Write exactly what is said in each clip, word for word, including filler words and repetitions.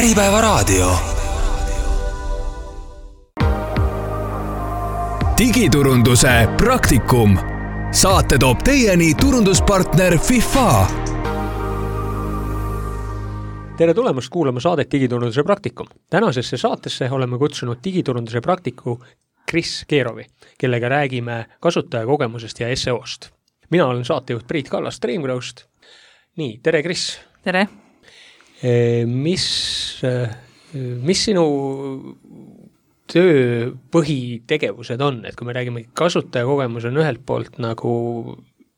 Äripäevaraadio. Digiturunduse praktikum. Saate toob teieni turunduspartner FIFA. Tere tulemast kuulama saadet Digiturunduse praktikum. Tänasesse saatesse oleme kutsunud digiturunduse praktiku Kris Keerovi, kellega räägime kasutajakogemusest ja S E O-st. Mina olen saatejuht Priit Kallas Dreamgrowst. Nii, tere Kris. Tere. Mis, mis sinu töö põhitegevused on? Et kui me räägime, kasutajakogemus on ühelt poolt nagu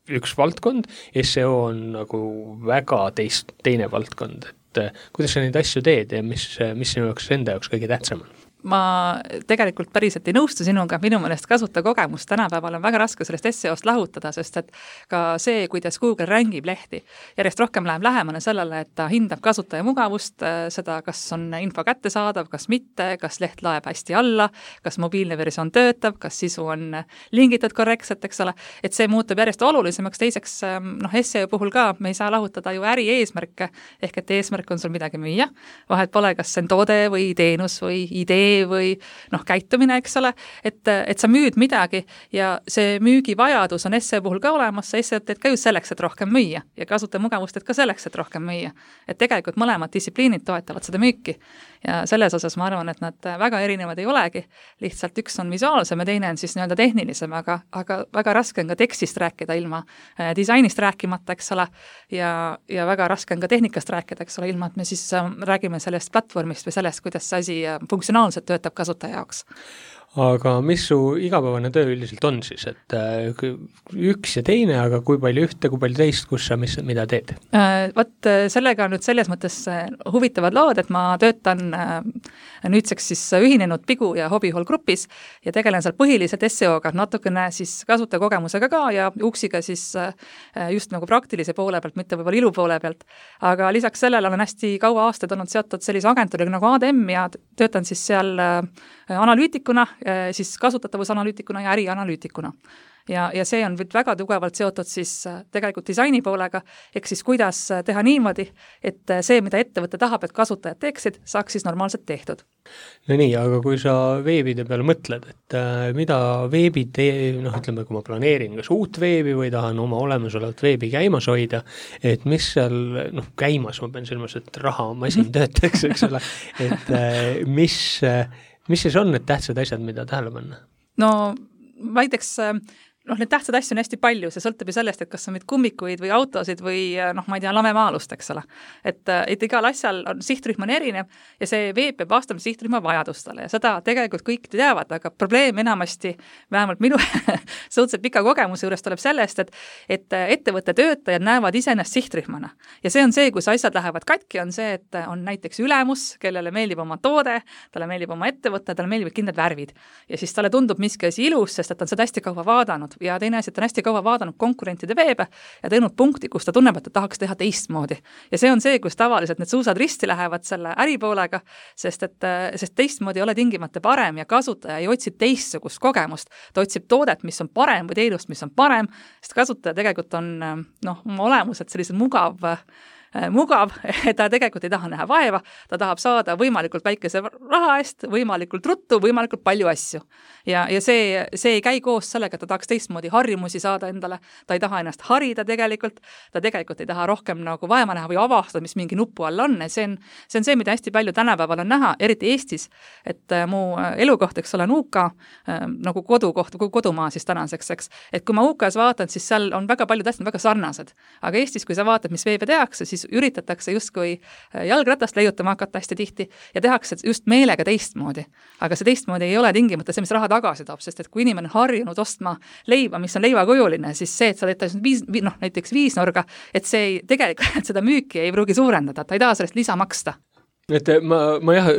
üks valdkond, S E O on nagu väga teist, teine valdkond. Et kuidas sa neid asju teed ja mis, mis sinu jaoks enda jaoks kõige tähtsam on? Ma tegelikult päriselt ei nõustu sinuga, minu mõnest kasutajakogemus tänapäeval on väga raske sellest S E O-st lahutada, sest et ka see, kuidas Google rängib lehti, järjest rohkem läheb lähemale sellele, et ta hindab kasutaja mugavust, seda, kas on info kättesaadav, kas mitte, kas leht laeb hästi alla, kas mobiilne versioon töötab, kas sisu on lingitud korrektselt, eks ole, et see muutub järjest olulisemaks. Teiseks, noh, S E O puhul ka me ei saa lahutada ju äri eesmärke, ehk et eesmärk on sul midagi müüa, vahet pole, kas see on toode või teenus või idee või noh, käitumine, eks ole, et, et sa müüd midagi ja see müügivajadus on S E O puhul ka olemas, sa S E O teed ka ju selleks, et rohkem müüa ja kasutaja mugavust teed ka selleks, et rohkem müüa. Et tegelikult mõlemad distsipliinid toetavad seda müüki ja selles osas ma arvan, et nad väga erinevad ei olegi, lihtsalt üks on visuaalsem ja teine on siis nii-öelda tehnilisem, aga, aga väga raske on ka tekstist rääkida ilma disainist rääkimata, eks ole, ja, ja väga raske on ka tehnikast rääkida, eks ole, ilma, et me siis räägime sellest platvormist või sellest, kuidas see asi funktsionaalselt töötab kasutaja jaoks. Aga mis su igapäevane töö üldiselt on siis, et üks ja teine, aga kui palju ühte, kui palju teist, kus sa mis, mida teed? Võt sellega on nüüd selles mõttes huvitavad lood, et ma töötan nüüdseks siis ühinenud Pigu ja Hobbyhall grupis ja tegelen seal põhiliselt S E O-ga, natukene siis kasutajakogemusega ka ja uksiga siis just nagu praktilise poole pealt, mitte võib-olla ilu poole pealt. Aga lisaks sellele olen hästi kaua aastaid olnud seotud sellise agentuuriga nagu A D M ja töötan siis seal analüütikuna, siis kasutatavusanalüütikuna ja ärianalüütikuna. Ja, ja see on väga tugevalt seotud siis tegelikult disaini poolega, ehk siis kuidas teha niimoodi, et see, mida ettevõte tahab, et kasutajad teeksid, saaks siis normaalselt tehtud. No nii, aga kui sa veebide peale mõtled, et mida veebi tee, noh ütleme, kui ma planeerin kas uut veebi või tahan oma olemasolevat veebi käimas hoida, et mis seal, noh käimas, ma pean silmas, et raha masin töötaks, eks ole, et mis, mis siis on need tähtsad asjad, mida tähele panna? No väideks noh, need tähtsad asju on hästi palju, see sõltub ju sellest, et kas on meid kummikuid või autosid või noh, ma ei tea, lamemaalust, eks ole. Et, et igal asjal on sihtrühm on erinev ja see veeb peab vastama sihtrühma vajadustele ja seda tegelikult kõik teavad, aga probleem enamasti, vähemalt minu suhteliselt pika kogemuse juures tuleb sellest, et, et ettevõtte töötajad näevad iseennast sihtrühmana. Ja see on see, kus asjad lähevad katki, on see, et on näiteks ülemus, kellele meeldib oma toode, talle meeldib oma ettevõtte, talle meeldivad kindlad värvid. Ja siis talle tundub miski asi ilus, sest et on seda hästi kaua vaadanud ja teine asi, et on hästi kaua vaadanud konkurentide veebe ja teinud punkti, kus ta tunneb, et ta tahaks teha teistmoodi. Ja see on see, kus tavaliselt need suusad risti lähevad selle äripoolega, sest et sest teistmoodi ei ole tingimata parem ja kasutaja ei otsi teistsugust kogemust. Ta otsib toodet, mis on parem või teenust, mis on parem, sest kasutaja tegelikult on noh, oma olemuselt sellised mugav mugav, ta tegelikult ei taha näha vaeva, ta tahab saada võimalikult väikese raha eest, võimalikult ruttu, võimalikult palju asju. Ja, ja see, see ei käi koos sellega, et ta tahaks teistmoodi harjumusi saada endale, ta ei taha ennast harida tegelikult, ta tegelikult ei taha rohkem nagu vaeva näha või avastada, mis mingi nupu all on. See on, see on see, mida hästi palju tänapäeval on näha, eriti Eestis, et mu elukoht, eks ole, on U K, nagu kodukoht, kodumaa siis tänaseks, eks. Et kui ma U K-s vaatan, siis seal on väga palju tähtsad, väga sarnased. Aga Eestis, kui sa vaatad, mis veebe tehakse, siis üritatakse justkui jalgratast leiutama hakata hästi tihti ja tehakse just meelega teistmoodi. Aga see teistmoodi ei ole tingimata see, mis raha tagasi toob, sest et kui inimene on harjunud ostma leiba, mis on leivakujuline, siis see, et sa teed viis, noh, näiteks viisnorga, et see ei, tegelikult et seda müüki ei pruugi suurendada, ta ei taha sellest lisa maksta. Et ma, ma jah,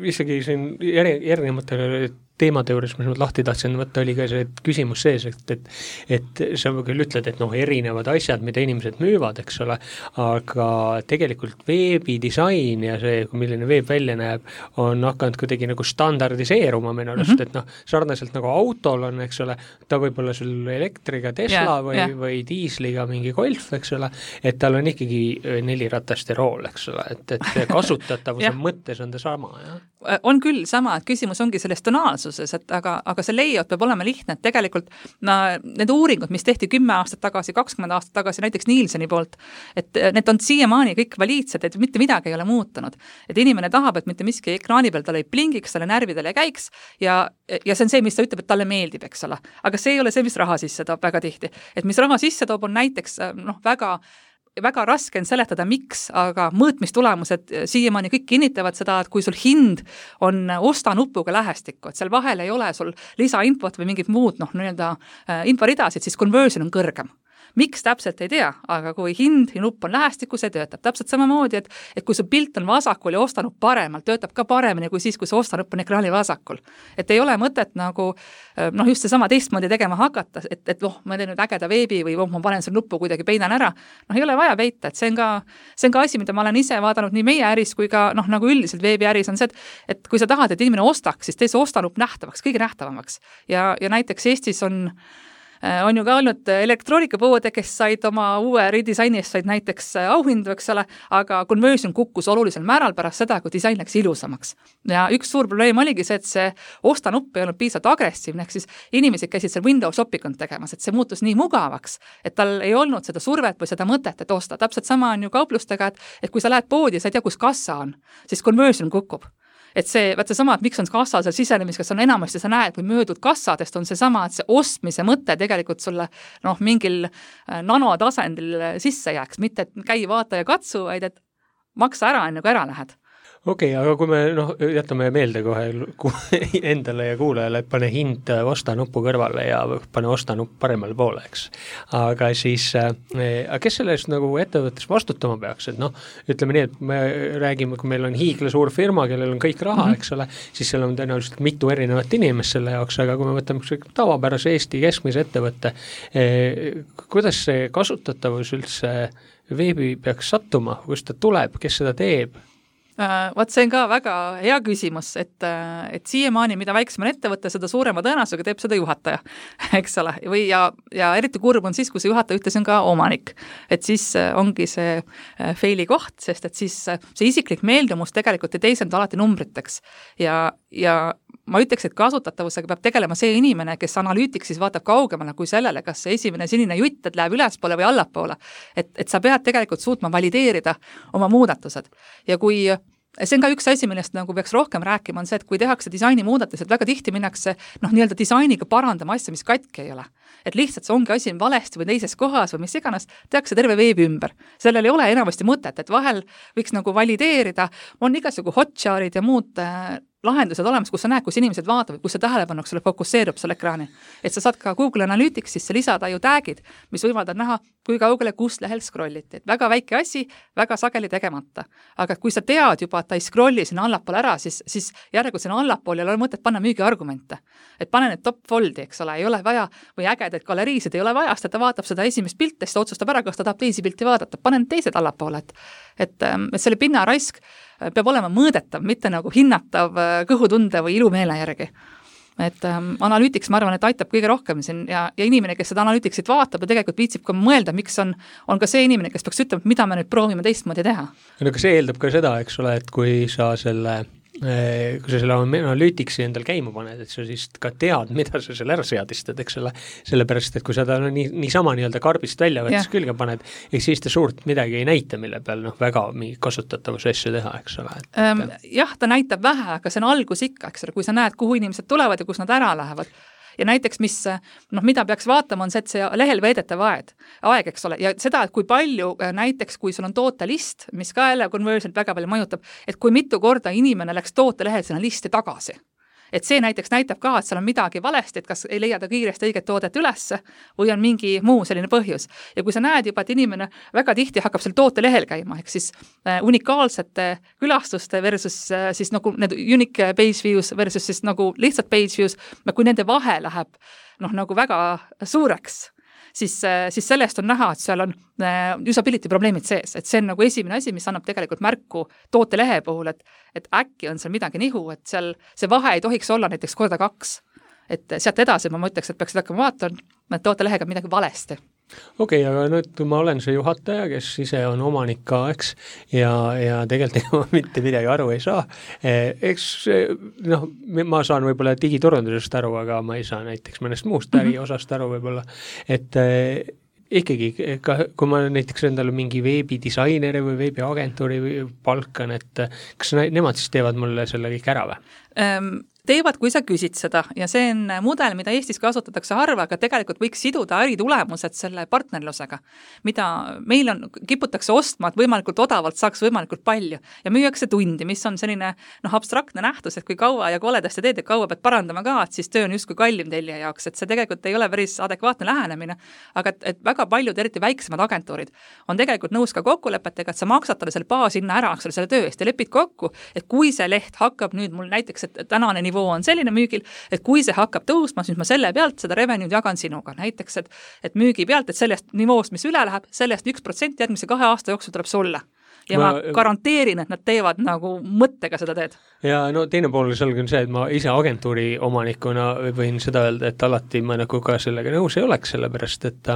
isegi siin erinevatele teemade juures, mis ma lahti tahtsin võtta, oli ka see küsimus sees, et, et, et sa küll ütled, et noh, erinevad asjad, mida inimesed müüvad, eks ole, aga tegelikult veebidisain ja see, milline veeb välja näeb, on hakanud kuidagi nagu standardiseeruma minu arust, mm -hmm. et noh, sarnaselt nagu autol on, eks ole, ta võib olla sul elektriga Tesla yeah, või, yeah. või diisliga mingi Golf, eks ole, et tal on ikkagi nelirataste rool, eks ole, et, et kasutatavuse yeah. mõttes on ta sama, jah? On küll sama, et küsimus ongi selles tonaalsuses, et aga, aga see layout peab olema lihtne, et tegelikult no, need uuringud, mis tehti kümme aastat tagasi, kakskümmend aastat tagasi, näiteks Nielseni poolt, et need on siiamaani kõik valiidsed, et mitte midagi ei ole muutunud. Et inimene tahab, et mitte miski ekraani peal talle ei plingiks, talle närvidele ei käiks ja, ja see on see, mis ta ütleb, et talle meeldib, eks ole. Aga see ei ole see, mis raha sisse toob väga tihti. Et mis raha sisse toob, on näiteks noh, väga väga raske on seletada, miks, aga mõõtmistulemused siiamaani kõik kinnitavad seda, et kui sul hind on osta nupuga lähestikku, et seal vahel ei ole sul lisainfot või mingid muud noh, nii-öelda inforidasid, siis conversion on kõrgem. Miks täpselt ei tea, aga kui hind ja nupp on lähestikku, see töötab täpselt samamoodi, et, et kui su pilt on vasakul ja ostanupp paremalt, töötab ka paremini kui siis, kui see ostanupp on ekraani vasakul. Et ei ole mõtet nagu noh, just see sama teistmoodi tegema hakata, et, et oh, ma teen nüüd ägeda veebi või oh, ma panen selle nuppu kuidagi peidan ära. Noh, ei ole vaja peita, et see on ka, see on ka asi, mida ma olen ise vaadanud nii meie äris kui ka noh, nagu üldiselt veebiäris on see, et, et kui sa tahad, et inimene ostaks, siis tee see ostanupp nähtavaks, kõige nähtavamaks. Ja, ja näiteks Eestis on on ju ka olnud elektroonikapoode, kes said oma uue redisaini eest said näiteks auhindu, eks ole, aga conversion kukkus olulisel määral pärast seda, kui disain läks ilusamaks. Ja üks suur probleem oligi see, et see ostanupp ei olnud piisavalt agressiivne, ehk siis inimesed käisid seal window shoppingut tegemas, et see muutus nii mugavaks, et tal ei olnud seda survet või seda mõtet, et osta. Täpselt sama on ju kauplustega, et, et kui sa lähed poodi ja sa ei tea, kus kassa on, siis conversion kukub. Et see, vaat see sama, et miks on kassa seal sisenemis, kas on enamasti sa näed, kui möödud kassadest, on see sama, et see ostmise mõte tegelikult sulle noh, mingil nanotasandil sisse jääks, mitte et käi, vaata ja katsu, vaid et maksa ära, enne kui ära lähed. Okei, okay, aga kui me noh, jätame meelde kohe endale ja kuulajale, et pane hind osta nuppu kõrvale ja pane osta nupp paremale poole, eks. Aga siis, aga kes sellest nagu ettevõttes vastutama peaks, et noh, ütleme nii, et me räägime, kui meil on hiigla suur firma, kellel on kõik raha, mm -hmm. eks ole, siis seal on tõenäoliselt mitu erinevat inimest selle jaoks, aga kui me võtame tavapärase Eesti keskmise ettevõtte, eh, kuidas see kasutatavus üldse veebi peaks sattuma, kust ta tuleb, kes seda teeb? Uh, Vaat see on ka väga hea küsimus, et, et siiamaani, mida väiksem on ettevõtte, seda suurema tõenäosusega teeb seda juhataja, eks ole, või ja, ja eriti kurb on siis, kui see juhataja ühtlasi on ka omanik. Et siis ongi see faili koht, sest et siis see isiklik meeldumus tegelikult ei teisenda alati numbriteks ja, ja ma ütleks, et kasutatavusega peab tegelema see inimene, kes analüütiks siis vaatab kaugemale kui sellele, kas see esimene sinine jutt, et läheb ülespoole või allapoole. Et, et sa pead tegelikult suutma valideerida oma muudatused. Ja kui see on ka üks asi, millest nagu peaks rohkem rääkima, on see, et kui tehakse disaini muudatused, väga tihti minnakse noh, nii-öelda disainiga parandama asja, mis katki ei ole. Et lihtsalt see ongi asi valesti või teises kohas või mis iganes, tehakse terve veebi ümber. Sellel ei ole enamasti mõtet, et vahel võiks nagu valideerida, on igasugu hotjarid ja muud lahendused olemas, kus sa näed, kus inimesed vaatavad, kus see tähelepanuks sulle fokusseerub selle ekraani. Et sa saad ka Google Analytics sisse lisada ju tagid, mis võimaldavad näha, kui kaugele kus lehel scrolliti. Et väga väike asi, väga sageli tegemata. Aga kui sa tead juba, et ta ei scrolli sinna allapoole ära, siis, siis järgu sinna allapoole ei ole mõtet panna müügiargumente. Et pane need top foldi, eks ole, ei ole vaja, või ägedaid galeriisid ei ole vaja, sest ta vaatab seda esimest pilti, siis ta otsustab ära, kas ta tahab teisi pilti vaadata. Pane need teised allapoole, et, et, et selle pinnaraisk peab olema mõõdetav, mitte nagu hinnatav kõhutunde või ilumeele järgi. Et ähm, analüütiks, ma arvan, et aitab kõige rohkem siin ja, ja inimene, kes seda analüütiksit vaatab ja tegelikult viitsib ka mõelda, miks on, on ka see inimene, kes peaks ütlema, mida me nüüd proovime teistmoodi teha. No aga see eeldab ka seda, eks ole, et kui sa selle kui sa selle analüütiksi endal käima paned, et sa siis ka tead, mida sa selle ära seadistad, eks ole, sellepärast, et kui sa ta no, nii, nii sama nii-öelda karbist välja võttes yeah. külge paned, eks siis ta suurt midagi ei näita, mille peal noh, väga mingi kasutatavuse asju teha, eks ole. Et, ähm, jah, ta näitab vähe, aga see on algus ikka, eks ole, kui sa näed, kuhu inimesed tulevad ja kus nad ära lähevad. Ja näiteks, mis, noh, mida peaks vaatama, on see, et see lehel veedetav aeg, aeg, eks ole, ja seda, et kui palju näiteks, kui sul on tootelist, mis ka jälle conversion väga palju mõjutab, et kui mitu korda inimene läks tootelehel sinna listi tagasi. et see näiteks näitab ka, et seal on midagi valesti, et kas ei leia ta kiiresti õiget toodet ülesse või on mingi muu selline põhjus. Ja kui sa näed juba, et inimene väga tihti hakkab seal toote lehel käima, ehk siis äh, unikaalsete külastuste versus äh, siis nagu need unique page views versus siis nagu lihtsalt page views, kui nende vahe läheb noh, nagu väga suureks, siis, siis sellest on näha, et seal on usability probleemid sees, et see on nagu esimene asi, mis annab tegelikult märku tootelehe puhul, et, et äkki on seal midagi nihu, et seal see vahe ei tohiks olla näiteks korda kaks. Et sealt edasi ma mõtleks, et peaksid hakkama vaatama, et tootelehega on midagi valesti. Okei, okay, aga nüüd ma olen see juhataja, kes ise on omanik ka, eks, ja, ja tegelikult mitte midagi aru ei saa. Eks noh, ma saan võib-olla digiturundusest aru, aga ma ei saa näiteks mõnest muust äri osast aru võib-olla, et ikkagi, ka, kui ma näiteks endale mingi veebidisaineri või veebiagentuuri palkan, et kas nemad siis teevad mulle selle kõik ära või? Um... teevad, kui sa küsid seda ja see on mudel, mida Eestis kasutatakse harva, aga tegelikult võiks siduda äritulemused selle partnerlusega, mida meil on, kiputakse ostma, et võimalikult odavalt saaks võimalikult palju ja müüakse tundi, mis on selline noh, abstraktne nähtus, et kui kaua ja koledasti teed, et kaua pead parandama ka, et siis töö on justkui kallim tellija jaoks, et see tegelikult ei ole päris adekvaatne lähenemine, aga et, et väga paljud, eriti väiksemad agentuurid on tegelikult nõus ka kokkulepetega, et sa maksad talle selle baashinna ära, eks ole, selle töö eest ja lepid kokku, et kui see leht hakkab nüüd mul näiteks, et tänane nivoo on selline müügil, et kui see hakkab tõusma, siis ma selle pealt seda revenue'd jagan sinuga. Näiteks, et, et müügi pealt, et sellest nivoost, mis üle läheb, sellest üks protsent järgmise kahe aasta jooksul tuleb sulle. Ja ma, ma garanteerin, et nad teevad nagu mõttega seda teed. Ja no teine pool selge on see, et ma ise agentuuri omanikuna võin seda öelda, et alati ma nagu ka sellega nõus ei oleks, sellepärast, et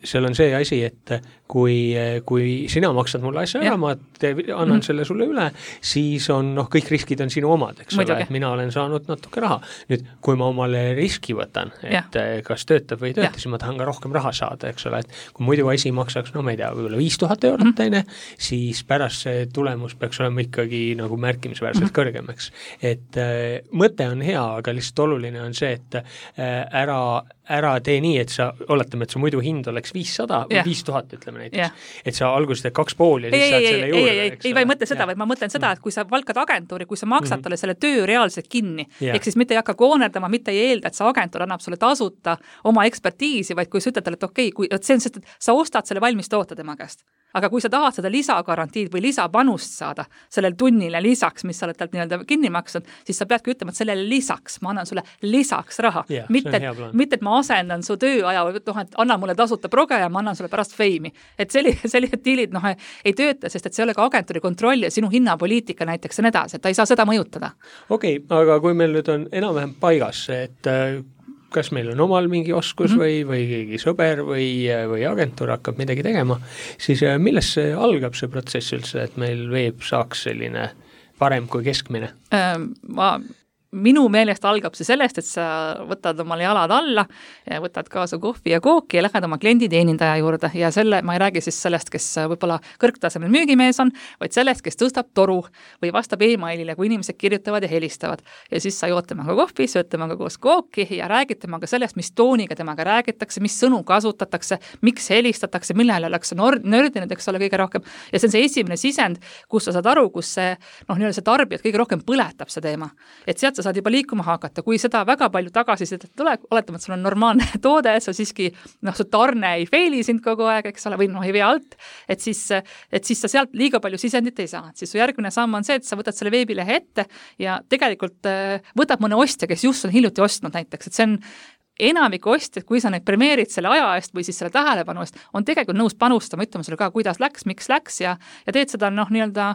seal on see asi, et kui, kui sina maksad mulle asja ära, ma te, annan mm. selle sulle üle, siis on, noh, kõik riskid on sinu omad, eks ole, et mina olen saanud natuke raha. Nüüd, kui ma omale riski võtan, et ja. kas töötab või ei tööta, siis ma tahan ka rohkem raha saada, eks ole, et kui muidu asi maksaks, no ma ei tea, võib-olla viis tuhat eurot mm. teine, siis pärast see tulemus peaks olema ikkagi nagu märkimisväärselt mm-hmm. kõrgemaks. Et äh, mõte on hea, aga lihtsalt oluline on see, et äh, ära, ära tee nii, et sa, oletame, et su muidu hind oleks viissada või yeah. viis tuhat, ütleme näiteks. Yeah. Et sa alguses teed kaks pool ja siis ei, saad ei, selle ei, juurde. Ei, ei, ei, ei, ei mõtle seda, vaid ma mõtlen seda, et kui sa valkad agentuuri, kui sa maksad mm-hmm. talle selle töö reaalselt kinni, yeah. ehk siis mitte ei hakka koonerdama, mitte ei eelda, et see agentuur annab sulle tasuta oma ekspertiisi, vaid kui sa ütled talle, et okei, kui, et see on sest, et sa ostad selle valmis toota tema käest. Aga kui sa tahad seda lisagarantiid või lisapanust saada sellel tunnile lisaks, mis sa oled talt nii-öelda kinni maksnud, siis sa peadki ütlema, et sellele lisaks, ma annan sulle lisaks raha. Yeah, mitte, et, mitte, et ma asendan su tööaja või noh, et anna mulle tasuta proge ja ma annan sulle pärast feimi. Et sellised, sellised diilid noh, ei tööta, sest et see ei ole ka agentuuri kontroll ja sinu hinnapoliitika näiteks ja nii edasi, et ta ei saa seda mõjutada. Okei, okay, aga kui meil nüüd on enam-vähem paigas, et kas meil on omal mingi oskus mm-hmm. või, või keegi sõber või, või agentuur hakkab midagi tegema, siis millest see algab see protsess üldse, et meil veeb saaks selline parem kui keskmine? Ma minu meelest algab see sellest, et sa võtad omale jalad alla ja võtad kaasa kohvi ja kooki ja lähed oma klienditeenindaja juurde ja selle, ma ei räägi siis sellest, kes võib-olla kõrgtasemel müügimees on, vaid sellest, kes tõstab toru või vastab e-mailile, kui inimesed kirjutavad ja helistavad. Ja siis sa jood temaga kohvi, sööd temaga koos kooki ja räägid temaga sellest, mis tooniga temaga räägitakse, mis sõnu kasutatakse, miks helistatakse, millele oleks nördinud, eks ole, kõige rohkem. Ja see on see esimene sisend, kus sa saad aru, kus see, noh, nii-öelda see tarbijat kõige rohkem põletab see teema. Et sealt saad juba liikuma hakata, kui seda väga palju tagasi seda tule, oletame, et sul on normaalne toode, sa siiski, noh, su tarne ei feili sind kogu aeg, eks ole, või noh, ei vea alt, et siis, et siis sa sealt liiga palju sisendit ei saa. Siis su järgmine samm on see, et sa võtad selle veebilehe ette ja tegelikult võtab mõne ostja, kes just on hiljuti ostnud näiteks, et see on enamik ostjad, kui sa neid premeerid selle aja eest või siis selle tähelepanu eest, on tegelikult nõus panustama, ütlema sulle ka, kuidas läks, miks läks ja, ja teed seda noh, nii-öelda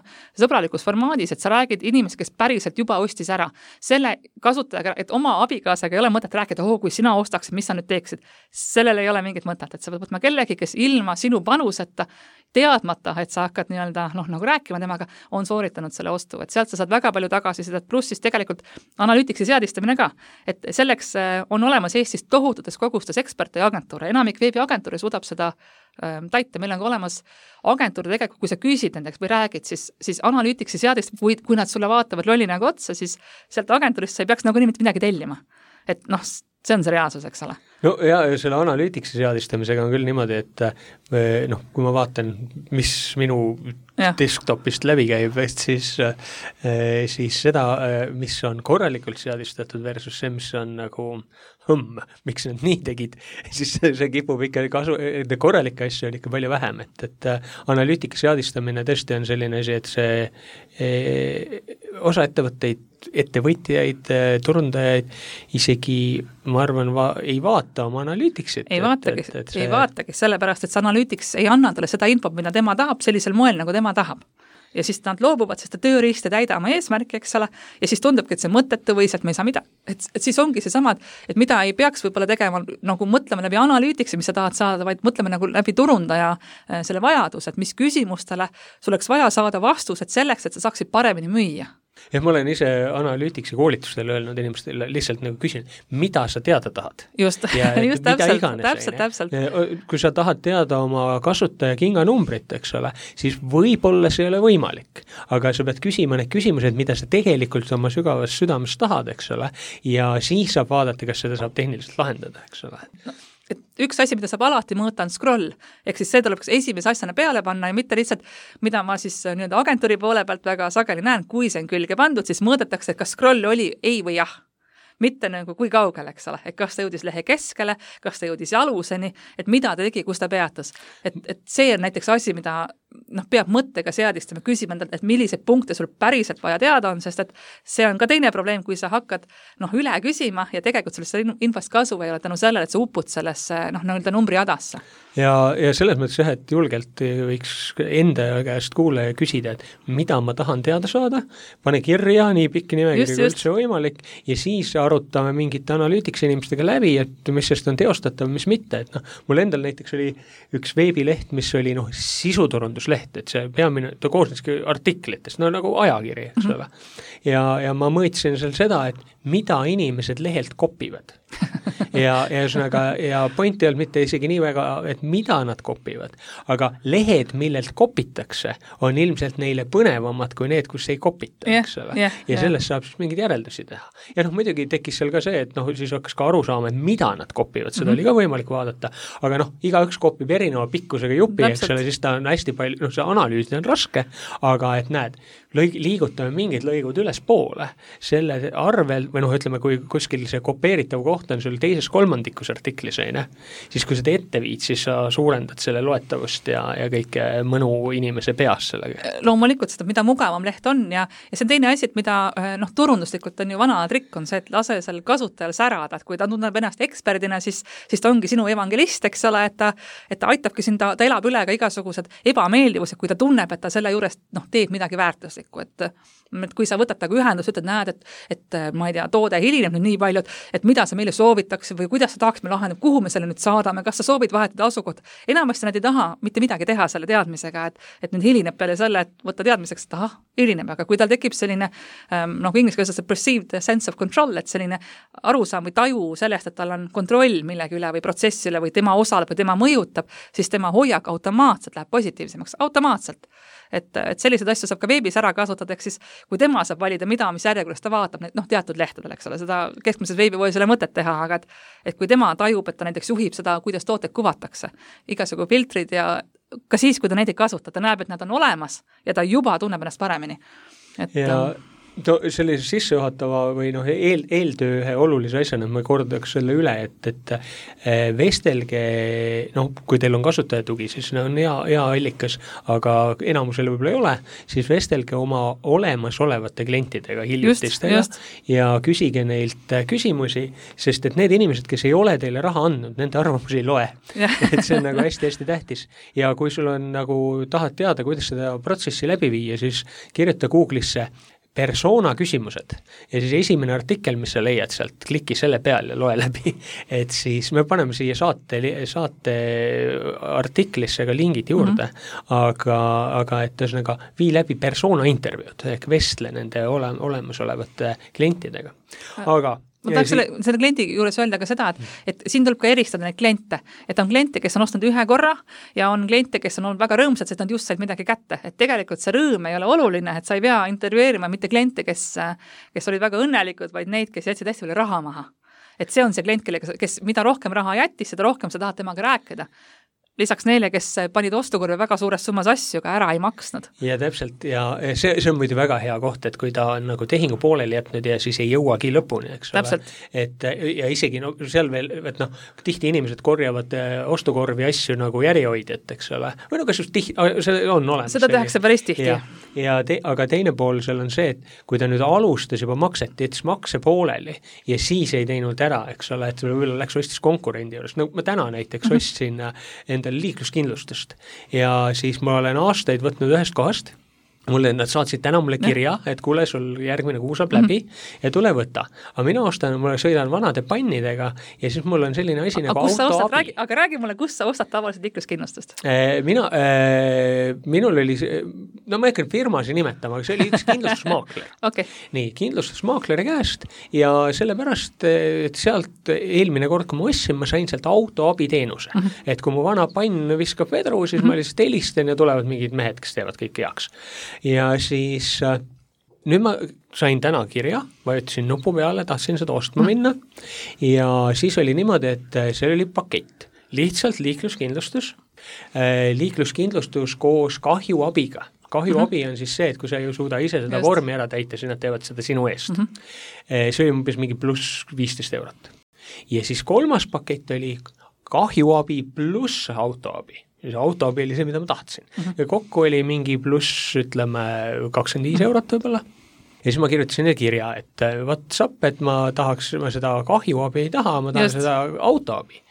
sõbralikus formaadis, et sa räägid inimesed, kes päriselt juba ostis ära. Selle kasutajaga, et oma abikaasaga ei ole mõtet rääkida, oo, kui sina ostaksid, mis sa nüüd teeksid. Sellel ei ole mingit mõtet, et sa võt võtma kellegi, kes ilma sinu panuseta, teadmata, et sa hakkad nii-öelda, noh, nagu rääkima temaga, on sooritanud selle ostu, et sealt sa saad väga palju tagasi seda, pluss siis tegelikult analüütiksi seadistamine ka, et selleks on olemas Eestis tohututes kogustes eksperte ja agentuure. Enamik veebiagentuuri suudab seda ähm, täita. Meil on ka olemas agentuuri tegelikult, kui sa küsid nendeks või räägid, siis, siis analüütiksi seadist, kui, kui nad sulle vaatavad lolli nagu otsa, siis sealt agentuurist sa ei peaks nagu nii midagi tellima. Et noh, see on see reaalsus, eks ole. No ja selle analüütiksi seadistamisega on küll niimoodi, et noh, kui ma vaatan, mis minu ja. desktopist läbi käib, siis, siis seda, mis on korralikult seadistatud versus see, mis on nagu hõmm, miks nad nii tegid, siis see kipub ikka kasu, korralikke asju on ikka palju vähem, et, et analüütika seadistamine tõesti on selline asi, et see e, osa ettevõtteid, ettevõtjaid, turundajaid isegi, ma arvan, va, ei vaata oma analüütiksit. Ei vaatagi, et, et see... ei vaatagi, sellepärast, et see analüütiks ei anna talle seda infot, mida tema tahab sellisel moel, nagu tema tahab. Ja siis nad loobuvad, sest tööriist ei täida oma eesmärki, eks ole, ja siis tundubki, et see mõttetu või sealt me ei saa mida, et, et siis ongi see samad, et mida ei peaks võib-olla tegema, nagu mõtlema läbi analüütiksi, mis sa tahad saada, vaid mõtlema nagu läbi turundaja selle vajadus, et mis küsimustele sul oleks vaja saada vastused selleks, et sa saaksid paremini müüa. Ja ma olen ise analüütiksi koolitustel öelnud inimestele, lihtsalt nagu küsin, mida sa teada tahad? Just, ja, just täpselt, täpselt, täpselt. Kui sa tahad teada oma kasutaja kinganumbrit, eks ole, siis võib-olla see ei ole võimalik, aga sa pead küsima need küsimused, mida sa tegelikult oma sügavas südames tahad, eks ole, ja siis saab vaadata, kas seda saab tehniliselt lahendada, eks ole. No. Et üks asi, mida saab alati mõõta, on scroll, ehk siis see tuleb esimese asjana peale panna ja mitte lihtsalt, mida ma siis nii-öelda agentuuri poole pealt väga sageli näen, kui see on külge pandud, siis mõõdetakse, et kas scroll oli ei või jah. Mitte nagu kui kaugele, eks ole, et kas ta jõudis lehe keskele, kas ta jõudis jaluseni, et mida ta tegi, kus ta peatus. Et, et see on näiteks asi, mida noh, peab mõttega seadistama, küsima endalt, et milliseid punkte sul päriselt vaja teada on, sest et see on ka teine probleem, kui sa hakkad noh, üle küsima ja tegelikult sellest infost kasu ei ole tänu sellele, et sa upud sellesse noh, nii-öelda numbri jadasse. Ja, ja selles mõttes jah, et julgelt võiks enda käest kuulaja küsida, et mida ma tahan teada saada, pane kirja nii pikki nimekiri kui üldse võimalik ja siis arutame mingite analüütiks inimestega läbi, et mis sest on teostatav, mis mitte, et noh, mul endal näiteks oli üks veebileht, mis oli noh, sisuturundusleht, et see peamine, ta koosneski artiklitest, no nagu ajakiri, eks ole. Ja, ja ma mõõtsin seal seda, et mida inimesed lehelt kopivad. ja, ja, üsnaga, ja point ei olnud mitte isegi nii väga, et mida nad kopivad, aga lehed, millelt kopitakse, on ilmselt neile põnevamad kui need, kus ei kopita, yeah, eks ole. Yeah, ja sellest yeah. saab siis mingeid järeldusi teha. Ja noh, muidugi tekkis seal ka see, et noh, siis hakkas ka aru saama, et mida nad kopivad, seda mm-hmm. oli ka võimalik vaadata, aga noh, igaüks kopib erineva pikkusega jupi, eks ole, siis ta on hästi palju, noh, see analüüs on raske, aga et näed, lõig, liigutame mingid lõigud üles poole, selle arvel, või noh, ütleme, kui kuskil see kopeeritav koht on sul teises kolmandikus artiklis, ei, siis kui seda ette viid, siis sa suurendad selle loetavust ja, ja kõike mõnu inimese peas sellega. Loomulikult seda, mida mugavam leht on ja, ja see on teine asi, et mida noh, turunduslikult on ju vana trikk on see, et lase seal kasutajal särada, et kui ta tunneb ennast eksperdina, siis, siis ta ongi sinu evangelist, eks ole, et ta, et ta aitabki sind, ta, ta elab üle ka igasugused ebameeldivused, kui ta tunneb, et ta selle juures noh, teeb midagi väärtuslikku, et, et kui sa võtad taga ühendust, ütled, näed, et, et ma ei tea, toode hilineb nüüd nii palju, et mida sa meile soovitakse või kuidas sa tahaks me lahendada, kuhu me selle nüüd saadame, kas sa soovid vahetada asukoht. Enamasti nad ei taha mitte midagi teha selle teadmisega, et, et nüüd hilineb peale selle, et võtta teadmiseks, et ahah, hilineb, aga kui tal tekib selline noh, inglise keeles perceived sense of control, et selline arusaam või taju sellest, et tal on kontroll millegi üle või protsessi üle või tema osaleb või tema mõjutab, siis tema hoiak automaatselt läheb positiivsemaks, automaatselt. Et, et selliseid asju saab ka veebis ära kasutada, ehk siis kui tema saab valida, mida, mis järjekorras ta vaatab, noh, teatud lehtedel, eks ole, seda keskmises veebipoes ei ole mõtet teha, aga et, et kui tema tajub, et ta näiteks juhib seda, kuidas tooted kuvatakse, igasugu filtrid ja ka siis, kui ta neid ei kasuta, ta näeb, et nad on olemas ja ta juba tunneb ennast paremini. Et, ja to, sellise sissejuhatava või noh, eel, eeltöö ühe olulise asjana ma kordaks selle üle, et, et vestelge, noh, kui teil on kasutajatugi, siis on hea, hea allikas, aga enamusel võib-olla ei ole, siis vestelge oma olemasolevate klientidega hiljutistega ja küsige neilt küsimusi, sest et need inimesed, kes ei ole teile raha andnud, nende arvamusi ei loe. et see on nagu hästi-hästi tähtis. Ja kui sul on nagu, tahad teada, kuidas seda protsessi läbi viia, siis kirjuta Google'isse persona küsimused ja siis esimene artikkel, mis sa leiad sealt, kliki selle peal ja loe läbi, et siis me paneme siia saate, saate artiklisse ka lingid juurde, mm-hmm. aga, aga et ühesõnaga vii läbi persona intervjuud ehk vestle nende ole, olemasolevate klientidega. Aga ma tahaks selle, selle kliendi juures öelda ka seda, et, et siin tuleb ka eristada neid kliente, et on kliente, kes on ostnud ühe korra ja on kliente, kes on olnud väga rõõmsad, sest nad just said midagi kätte, et tegelikult see rõõm ei ole oluline, et sa ei pea intervjueerima mitte kliente, kes, kes olid väga õnnelikud, vaid neid, kes jätsid hästi palju raha maha. et see on see klient, kellega, kes mida rohkem raha jättis, seda rohkem sa tahad temaga rääkida. Lisaks neile, kes panid ostukorvi väga suures summas asju, aga ära ei maksnud. Ja täpselt, ja see, see on muidu väga hea koht, et kui ta on nagu tehingu pooleli jätnud ja siis ei jõuagi lõpuni, eks täpselt. ole. Et ja isegi no, seal veel, et noh, tihti inimesed korjavad ostukorvi asju nagu järjehoidjat, eks ole. Või no kas just tihti, see on olemas. Seda tehakse päris tihti. Ja, ja te, aga teine pool seal on see, et kui ta nüüd alustas juba makset, jättis makse pooleli ja siis ei teinud ära, eks ole, et võib-olla läks ostis konkurendi juures. No ma täna näiteks ostsin enda liikluskindlustust ja siis ma olen aastaid võtnud ühest kohast, mulle nad saatsid täna mulle kirja, et kuule, sul järgmine kuu saab läbi mm-hmm. ja tule võta. Aga mina ostan, mulle sõidan vanade pannidega ja siis mul on selline asi A, nagu autoabi. Räägi, aga räägi mulle, kus sa ostad tavaliselt liikluskindlustust? Mina, äh, minul oli, no ma ei hakka firmasi nimetama, aga see oli üks kindlustusmaakler. Okay. Nii, kindlustusmaakleri käest ja sellepärast, et sealt eelmine kord, kui ma ostsin, ma sain sealt autoabi teenuse. Mm-hmm. Et kui mu vana pann viskab vedru, siis mm-hmm. ma lihtsalt helistan ja tulevad mingid mehed, kes teevad kõik heaks. Ja siis nüüd ma sain täna kirja, vajutasin nupu peale, tahtsin seda ostma minna ja siis oli niimoodi, et see oli pakett. Lihtsalt liikluskindlustus, liikluskindlustus koos kahjuabiga. Kahjuabi on siis see, et kui sa ei suuda ise seda Just. vormi ära täita, siis nad teevad seda sinu eest. Mm-hmm. See oli umbes mingi pluss viisteist eurot. Ja siis kolmas pakett oli kahjuabi pluss autoabi. Ja see autoabi oli see, mida ma tahtsin. Uh-huh. Ja kokku oli mingi pluss, ütleme, kakskümmend viis eurot võib-olla. Ja siis ma kirjutasin kirja, et WhatsApp, et ma tahaks, ma seda kahjuabi ei taha, ma tahan Just. seda autoabi.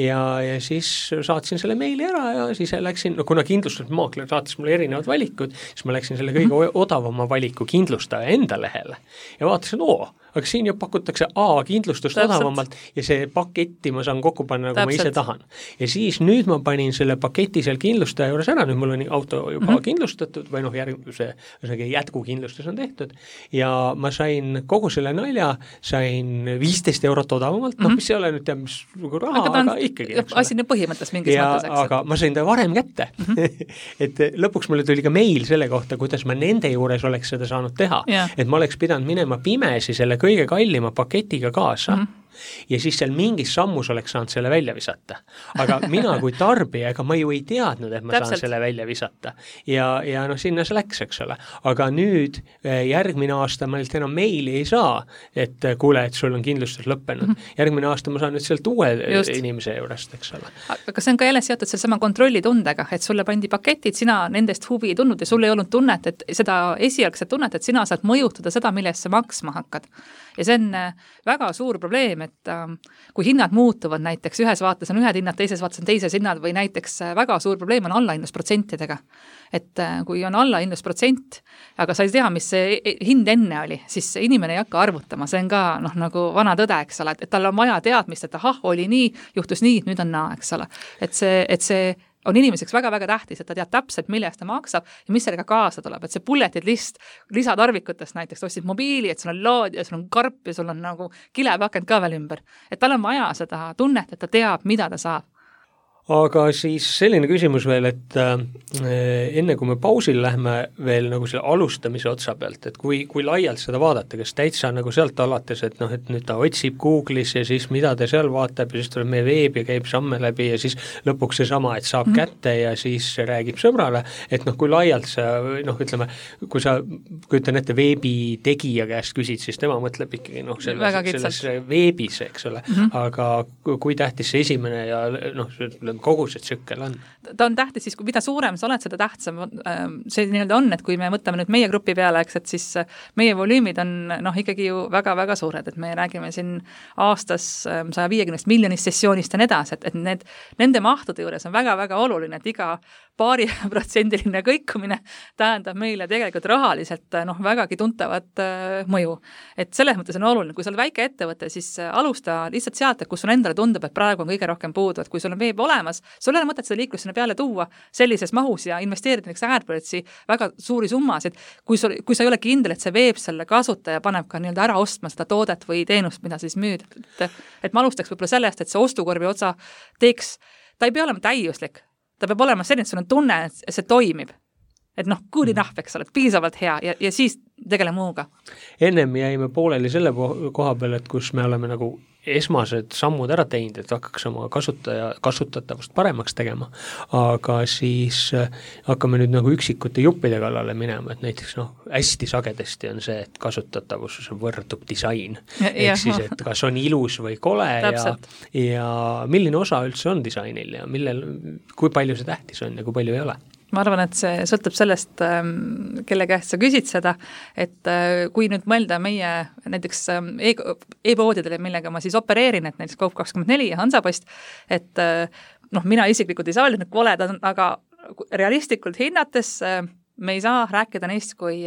Ja, ja siis saatsin selle meili ära ja siis läksin, no kuna kindlustusmaakler saatis mulle erinevad valikud, siis ma läksin selle kõige uh-huh. odavama valiku kindlustaja enda lehele ja vaatasin, oo, aga siin ju pakutakse A kindlustust Täpselt. odavamalt ja see paketti ma saan kokku panna, nagu Täpselt. ma ise tahan. Ja siis nüüd ma panin selle paketi seal kindlustaja juures ära, nüüd mul on auto juba mm-hmm. kindlustatud või noh, järgmise jätkukindlustus on tehtud ja ma sain kogu selle nalja, sain viisteist eurot odavamalt, noh, mis ei ole nüüd teab, mis raha, aga, aga ikkagi. Asi nüüd põhimõttes mingis ja, mõttes, eks. Aga ma sain ta varem kätte. Mm-hmm. et lõpuks mulle tuli ka meil selle kohta, kuidas ma nende juures oleks seda saanud teha. Yeah. Et ma oleks pidanud minema pimesi selle kõige kallima paketiga kaasa mm-hmm. ja siis seal mingis sammus oleks saanud selle välja visata. Aga mina kui tarbija, ega ma ju ei teadnud, et ma Täpselt. saan selle välja visata. Ja, ja noh, sinna see läks, eks ole. Aga nüüd järgmine aasta ma enam meili ei saa, et kuule, et sul on kindlustus lõppenud. Mm-hmm. Järgmine aasta ma saan nüüd sealt uue Just. inimese juurest, eks ole. Aga see on ka jälle seotud selle sama kontrollitundega, et sulle pandi paketid, sina nendest huvi ei tundnud ja sul ei olnud tunnet, et seda esialgset tunnet, et sina saad mõjutada seda, millest sa maksma hakkad. Ja see on väga suur probleem, et kui hinnad muutuvad näiteks, ühes vaates on ühed hinnad, teises vaates on teises hinnad või näiteks väga suur probleem on allahindlusprotsentidega. Et kui on allahindlusprotsent, aga sa ei tea, mis see hind enne oli, siis inimene ei hakka arvutama, see on ka noh, nagu vana tõde, eks ole, et tal on vaja teadmist, et ahah, oli nii, juhtus nii, nüüd on naa, eks ole. Et see, et see on inimeseks väga-väga tähtis, et ta teab täpselt, millest ta maksab ja mis sellega kaasa tuleb, et see bulleted list lisatarvikutest näiteks, ostsid mobiili, et sul on lood ja sul on karp ja sul on nagu kilepakend ka veel ümber. Et tal on vaja seda tunnet, et ta teab, mida ta saab. Aga siis selline küsimus veel, et äh, enne kui me pausil lähme veel nagu selle alustamise otsa pealt, et kui, kui laialt seda vaadata, kas täitsa nagu sealt alates, et noh, et nüüd ta otsib Google'is ja siis mida ta seal vaatab ja siis tuleb meie veeb ja käib samme läbi ja siis lõpuks see sama, et saab mm-hmm. kätte ja siis räägib sõbrale, et noh, kui laialt sa, noh, ütleme, kui sa kujutan ette veebi tegija käest küsid, siis tema mõtleb ikkagi noh, selles, selles veebis, eks ole, mm-hmm. aga kui tähtis see esimene ja noh, kogu see tsükkel on? Ta on tähtis siis, kui mida suurem sa oled, seda tähtsam see nii-öelda on, et kui me mõtleme nüüd meie grupi peale, eks, et siis meie volüümid on noh, ikkagi ju väga-väga suured, et me räägime siin aastas saja viiekümnest miljonist sessioonist ja nedas, et, et need, nende mahtude juures on väga-väga oluline, et iga paari protsendiline kõikumine tähendab meile tegelikult rahaliselt noh, vägagi tuntavat mõju. Et selles mõttes on oluline, kui sa oled väike ettevõte, siis alusta lihtsalt sealt, et kus sul endale tundub, et praegu on kõige rohkem puudu, et kui sul on veeb olemas, sul ei ole mõtet seda liiklust sinna peale tuua sellises mahus ja investeerida näiteks AdWordsi väga suuri summasid, kui, sul, kui sa ei ole kindel, et see veeb selle kasutaja paneb ka nii-öelda ära ostma seda toodet või teenust, mida siis müüd. Et, et ma alustaks võib-olla sellest, et see ostukorvi otsa teeks, ta ei pea olema täiuslik, ta peab olema selline, et sul on tunne, et see toimib. Et noh, good enough, eks ole, piisavalt hea ja, ja siis tegele muuga. Ennem jäime pooleli selle koha peal, et kus me oleme nagu esmased sammud ära teinud, et hakkaks oma kasutaja, kasutatavust paremaks tegema, aga siis hakkame nüüd nagu üksikute juppide kallale minema, et näiteks noh, hästi sagedasti on see, et kasutatavus võrdub disain. Ehk siis, et kas on ilus või kole ja, ja milline osa üldse on disainil ja millel, kui palju see tähtis on ja kui palju ei ole. Ma arvan, et see sõltub sellest, kelle käest sa küsid seda, et kui nüüd mõelda meie näiteks e-poodidele, millega ma siis opereerin, et näiteks Coop kakskümmend neli ja Hansapost, et noh, mina isiklikult ei saa öelda, et koled on, aga realistlikult hinnates me ei saa rääkida neist kui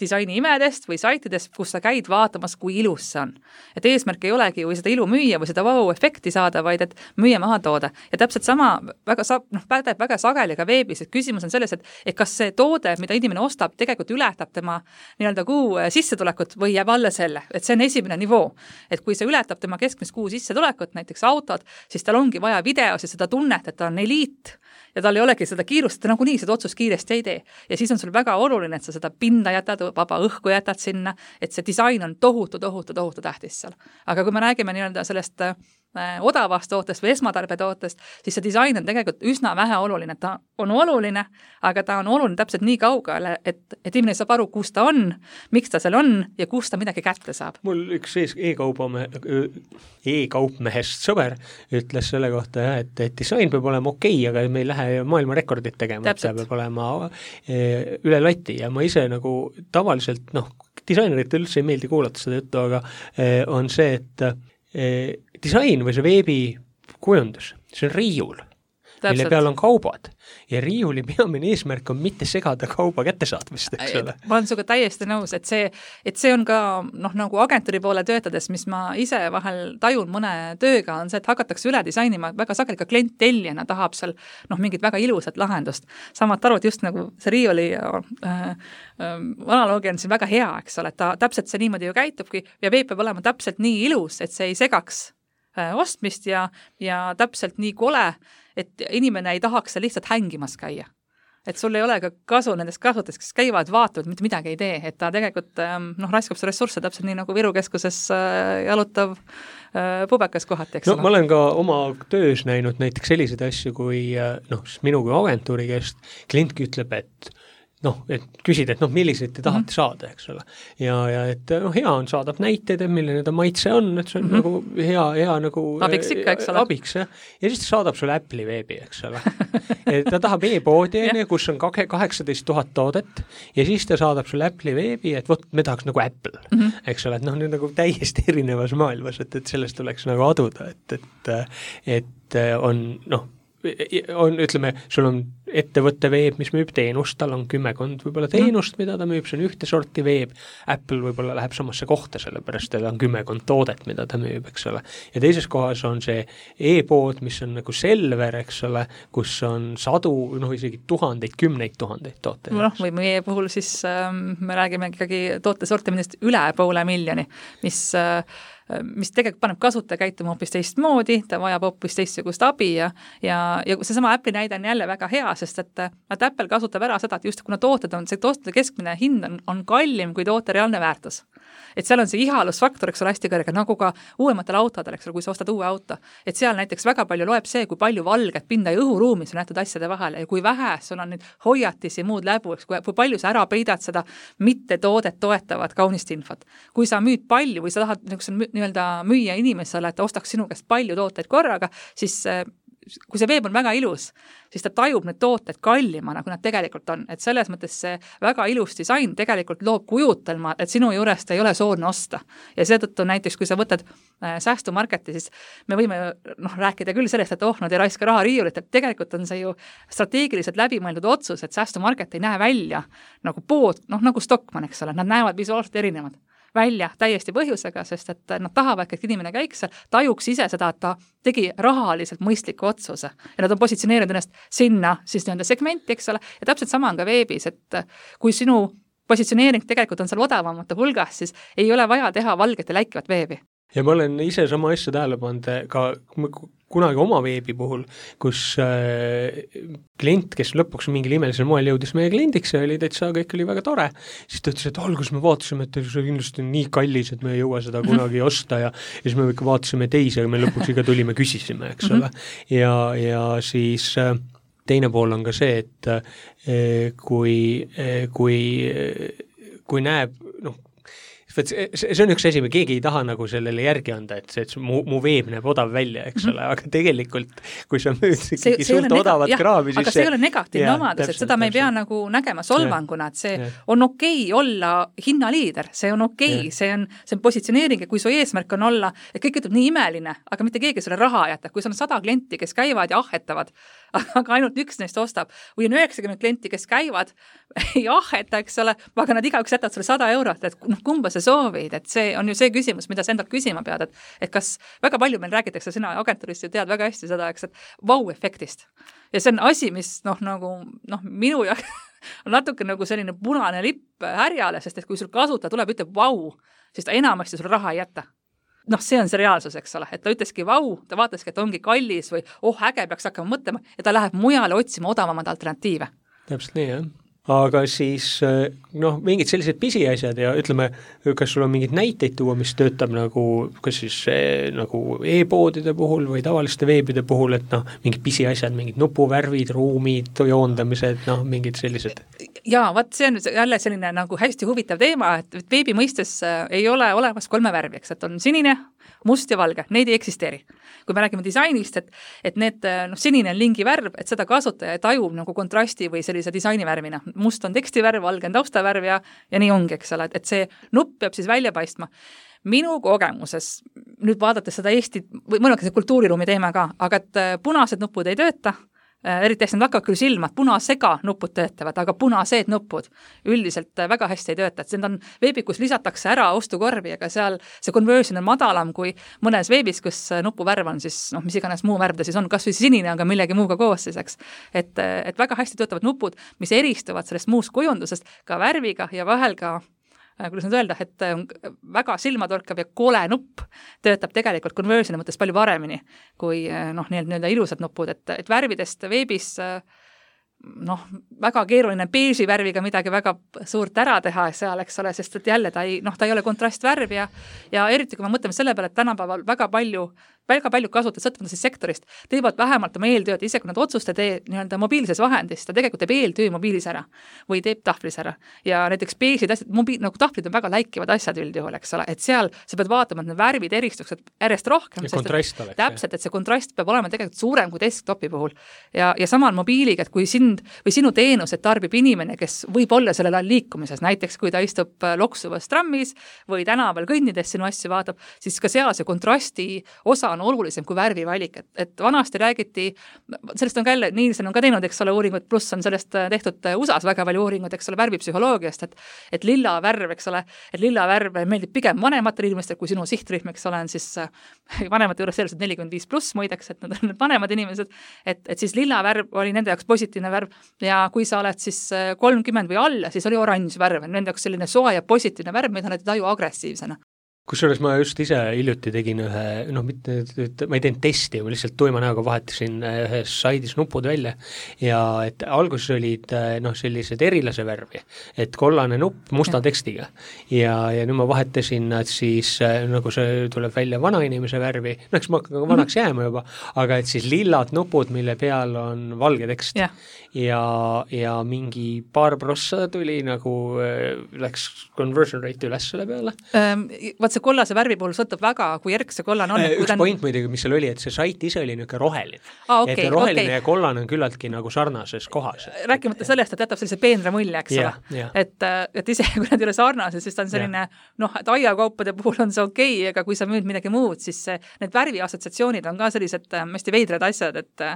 disaini imedest või saitidest, kus sa käid vaatamas, kui ilus see on. Et eesmärk ei olegi või seda ilu müüa või seda vau-efekti saada, vaid et müüa maha toode. Ja täpselt sama väga, noh, pädeb väga sageli ka veebis, et küsimus on selles, et, et kas see toode, mida inimene ostab, tegelikult ületab tema nii-öelda kuu sissetulekut või jääb alla selle. Et see on esimene nivoo. Et kui see ületab tema keskmist kuu sissetulekut, näiteks autod, siis tal ongi vaja videos ja seda tunnet, et ta on eliit ja tal ei olegi seda kiirust, ta nagunii seda otsust kiiresti ei tee. Ja siis on sul väga oluline, et sa seda pinda jätad, vaba õhku jätad sinna, et see disain on tohutu, tohutu, tohutu tähtis seal. Aga kui me räägime nii-öelda sellest äh, odavast tootest või esmatarbetootest, siis see disain on tegelikult üsna vähe oluline. Ta on oluline, aga ta on oluline täpselt nii kaugele, et, et inimene saab aru, kus ta on, miks ta seal on ja kus ta midagi kätte saab. Mul üks e-kaupame, e-kaupmehest sõber ütles selle kohta, et, et disain peab olema okei, aga me ei lähe maailma rekordit tegema, et see peab olema üle lati ja ma ise nagu tavaliselt, noh, disainerit üldse ei meeldi kuulata seda juttu, aga on see, et disain või see veebi kujundus, see on riiul, mille peal on kaubad ja riiuli peamine eesmärk on mitte segada kauba kättesaatmist, eks ole. Ma olen suga täiesti nõus, et see, et see on ka noh, nagu agentuuri poole töötades, mis ma ise vahel tajun mõne tööga, on see, et hakatakse üle disainima, väga sageli ka klient tellijana tahab seal noh, mingit väga ilusat lahendust. Samad arvad just nagu see riiuli äh, äh, analoogia on siin väga hea, eks ole, et ta täpselt see niimoodi ju käitubki ja veeb peab olema täpselt nii ilus, et see ei segaks ostmist ja, ja täpselt nii kole, et inimene ei tahaks seal lihtsalt hängimas käia. Et sul ei ole ka kasu nendest kasutest, kes käivad, vaatavad, mitte midagi ei tee, et ta tegelikult noh, raiskab see ressursse täpselt nii nagu Viru keskuses jalutav pubekas kohati, eks no, ole. Ma olen ka oma töös näinud näiteks selliseid asju, kui noh, minu kui agentuuri käest klientki ütleb, et noh, et küsida, et noh, milliseid te tahate mm-hmm. saada, eks ole. Ja, ja et noh, hea on saada näiteid, et milline ta maitse on, et see on mm-hmm. nagu hea, hea nagu abiks ikka, eks ole. Abiks, jah. Ja siis ta saadab sulle Apple'i veebi, eks ole. Et ta tahab e-poodi, kus on kaheksateist tuhat toodet ja siis ta saadab sulle Apple'i veebi, et vot me tahaks nagu Apple, mm-hmm. eks ole, et noh, nüüd nagu täiesti erinevas maailmas, et, et sellest tuleks nagu aduda, et, et, et on noh, on, ütleme, sul on ettevõtte veeb, mis müüb teenust, tal on kümmekond võib-olla teenust, mida ta müüb, see on ühte sorti veeb. Apple võib-olla läheb samasse kohta, sellepärast et on kümmekond toodet, mida ta müüb, eks ole. Ja teises kohas on see e-pood, mis on nagu Selver, eks ole, kus on sadu, noh isegi tuhandeid, kümneid tuhandeid tooteid. Noh, või meie puhul siis äh, me räägime ikkagi tootesortimendist üle poole miljoni, mis äh, mis tegelikult paneb kasutaja käituma hoopis teistmoodi, ta vajab hoopis teistsugust abi ja, ja, ja seesama Apple'i näide on jälle väga hea, sest et, et Apple kasutab ära seda, et just kuna tooted on, see tootete keskmine hind on, on kallim kui toote reaalne väärtus. Et seal on see ihalusfaktor, eks ole, hästi kõrge, nagu ka uuematel autodel, eks ole, kui sa ostad uue auto. Et seal näiteks väga palju loeb see, kui palju valget pinda ja õhuruumis on jäetud asjade vahele ja kui vähe sul on nüüd hoiatisi muud läbu, eks, kui, kui palju sa ära peidad seda mitte toodet toetavat kaunist infot. Kui sa müüd palju või sa tahad nii-öelda müüa inimesele, et ta ostaks sinu käest palju tooteid korraga, siis kui see veeb on väga ilus, siis ta tajub need tooted kallimana, kui nad tegelikult on. Et selles mõttes see väga ilus disain tegelikult loob kujutelma, et sinu juurest ei ole soodne osta. Ja seetõttu näiteks, kui sa võtad äh, säästumarketi, siis me võime noh, rääkida küll sellest, et oh, nad ei raiska raha riiulit, et tegelikult on see ju strateegiliselt läbimõeldud otsus, et säästumarket ei näe välja nagu pood, noh nagu Stockmann, eks ole, nad näevad visuaalselt erinevad välja täiesti põhjusega, sest et nad tahavad, et inimene käiks seal, tajuks ise seda, et ta tegi rahaliselt mõistliku otsuse ja nad on positsioneerinud ennast sinna siis nii-öelda segmenti, eks ole, ja täpselt sama on ka veebis, et kui sinu positsioneering tegelikult on seal odavamate hulgas, siis ei ole vaja teha valget ja läikivat veebi. Ja ma olen ise sama asja tähele pannud ka kunagi oma veebi puhul, kus äh, klient, kes lõpuks mingil imelisel moel jõudis meie kliendiks ja oli täitsa, kõik oli väga tore, siis ta ütles, et algus me vaatasime, et see kindlasti on nii kallis, et me ei jõua seda kunagi osta ja, ja siis me ikka vaatasime teisi, aga me lõpuks ikka tulime, küsisime, eks ole. Ja, ja siis äh, teine pool on ka see, et eh, kui, eh, kui, kui näeb, noh, see, see on üks asi, me keegi ei taha nagu sellele järgi anda, et see, et mu, mu veeb näeb odav välja, eks ole, aga tegelikult, kui sa müüd ikkagi suurt odavat nega- kraami, siis aga see, see ei ole negatiivne omadus, et seda me ei pea nagu nägema solvanguna, et see ja. on okei olla hinnaliider, see on okei, see on, see on positsioneering ja kui su eesmärk on olla, et kõik ütleb nii imeline, aga mitte keegi sulle raha jätab, kui sul on sada klienti, kes käivad ja ahetavad, aga ainult üks neist ostab, või on üheksakümmend klienti, kes käivad, ei aheta, eks ole, aga nad igaüks jätavad sulle sada eurot, et noh, kumba sa soovid, et see on ju see küsimus, mida sa endalt küsima pead, et, et kas väga palju meil räägitakse, sina agentuurist ju tead väga hästi seda, eks, et vau-efektist. Ja see on asi, mis noh, nagu, noh, minu ja on natuke nagu selline punane lipp härjale, sest et kui sul kasutaja tuleb, ütleb vau, siis ta enamasti sul raha ei jäta. Noh, see on see reaalsus, eks ole, et ta ütleski vau, ta vaataski, et ongi kallis või oh, äge peaks hakkama mõtlema ja ta läheb mujale otsima odavamad alternatiive. Täpselt nii, jah. Aga siis noh, mingid sellised pisiasjad ja ütleme, kas sul on mingid näiteid tuua, mis töötab nagu, kas siis nagu e-poodide puhul või tavaliste veebide puhul, et noh, mingid pisiasjad, mingid nupuvärvid, ruumid, joondamised, noh, mingid sellised. Jaa, vaat see on jälle selline nagu hästi huvitav teema, et veebi mõistes ei ole olemas kolme värvi, eks, et on sinine, must ja valge, neid ei eksisteeri. Kui me räägime disainist, et, et need, noh, sinine on lingi värv, et seda kasutaja tajub nagu kontrasti või sellise disainivärvina. Must on tekstivärv, valge on taustavärv ja, ja nii ongi, eks ole, et see nupp peab siis välja paistma. Minu kogemuses, nüüd vaadates seda Eesti, või mõnel see kultuuriruumi teema ka, aga et punased nupud ei tööta, eriti hästi nad hakkavad küll silma, et punasega nupud töötavad, aga punased nupud üldiselt väga hästi ei tööta, et see on veebi, kus lisatakse ära ostukorvi, aga seal see conversion on madalam kui mõnes veebis, kus nupuvärv on siis, noh, mis iganes muu värv ta siis on, kas või sinine, aga millegi muuga koos siis, eks. Et, et väga hästi töötavad nupud, mis eristuvad sellest muust kujundusest ka värviga ja vahel ka kuidas nüüd öelda, et väga silmatorkav ja kole nupp töötab tegelikult conversioni mõttes palju paremini kui noh, nii-öelda ilusad nupud, et, et värvidest veebis noh, väga keeruline beeži värviga midagi väga suurt ära teha seal, eks ole, sest et jälle ta ei, noh, ta ei ole kontrastvärv ja, ja eriti kui me mõtleme selle peale, et tänapäeval väga palju väga palju kasutajad sõltuvalt siis sektorist, teevad vähemalt oma eeltööd, ise kui nad otsuste tee nii-öelda mobiilses vahendis, ta tegelikult teeb eeltöö mobiilis ära või teeb tahvlis ära. Ja näiteks beežid asjad, mobiil, nagu tahvlid on väga läikivad asjad üldjuhul, eks ole, et seal sa pead vaatama, et need värvid eristuksid järjest rohkem. Ja kontrast oleks. Täpselt, et see kontrast peab olema tegelikult suurem kui desktopi puhul. Ja, ja samal mobiiliga, et kui sind või sinu teenused tarbib inimene, kes võib olla sellel ajal liikumises, näiteks kui ta istub loksuvas trammis või tänaval kõnnides sinu asju vaatab, siis ka seal see kontrasti osa on olulisem kui värvivalik, et, et vanasti räägiti, sellest on ka jälle, Nielsen on ka teinud, eks ole, uuringut, pluss on sellest tehtud U S A-s väga palju uuringut, eks ole, värvipsühholoogiast, et, et lilla värv, eks ole, et lilla värv meeldib pigem vanematele inimestele, kui sinu sihtrühm, eks ole, on siis vanemate juures sellised nelikümmend viis pluss muideks, et nad on vanemad inimesed, et, et siis lilla värv oli nende jaoks positiivne värv ja kui sa oled siis kolmkümmend või alla, siis oli oranž värv, nende jaoks selline soa ja positiivne värv, mida nad ei taju agressiivsena. Kusjuures ma just ise hiljuti tegin ühe, noh, mitte, ma ei teinud testi, ma lihtsalt tuima näoga vahetasin ühes saidis nupud välja ja et alguses olid noh, sellised erilase värvi, et kollane nupp musta tekstiga ja, ja nüüd ma vahetasin nad siis, nagu see tuleb välja vanainimese värvi, no eks ma hakkan vanaks jääma juba, aga et siis lillad nupud, mille peal on valge tekst yeah. ja, ja mingi paar prossa tuli nagu, läks conversion rate üles selle peale um,. Vaat see kollase värvi puhul sõltub väga, kui järg see kollane on. Üks on... point muidugi, mis seal oli, et see sait ise oli niisugune roheline. Ah, okay, et roheline okay. ja kollane on küllaltki nagu sarnases kohas. Rääkimata sellest, et jätab sellise peenra mulje, eks yeah, ole. Yeah. Et, et ise, kui nad ei ole sarnased, siis ta on selline, yeah. noh, et aiakaupade puhul on see okei, okay, aga kui sa müüd midagi muud, siis see, need värvi assotsiatsioonid on ka sellised hästi veidrad asjad, et,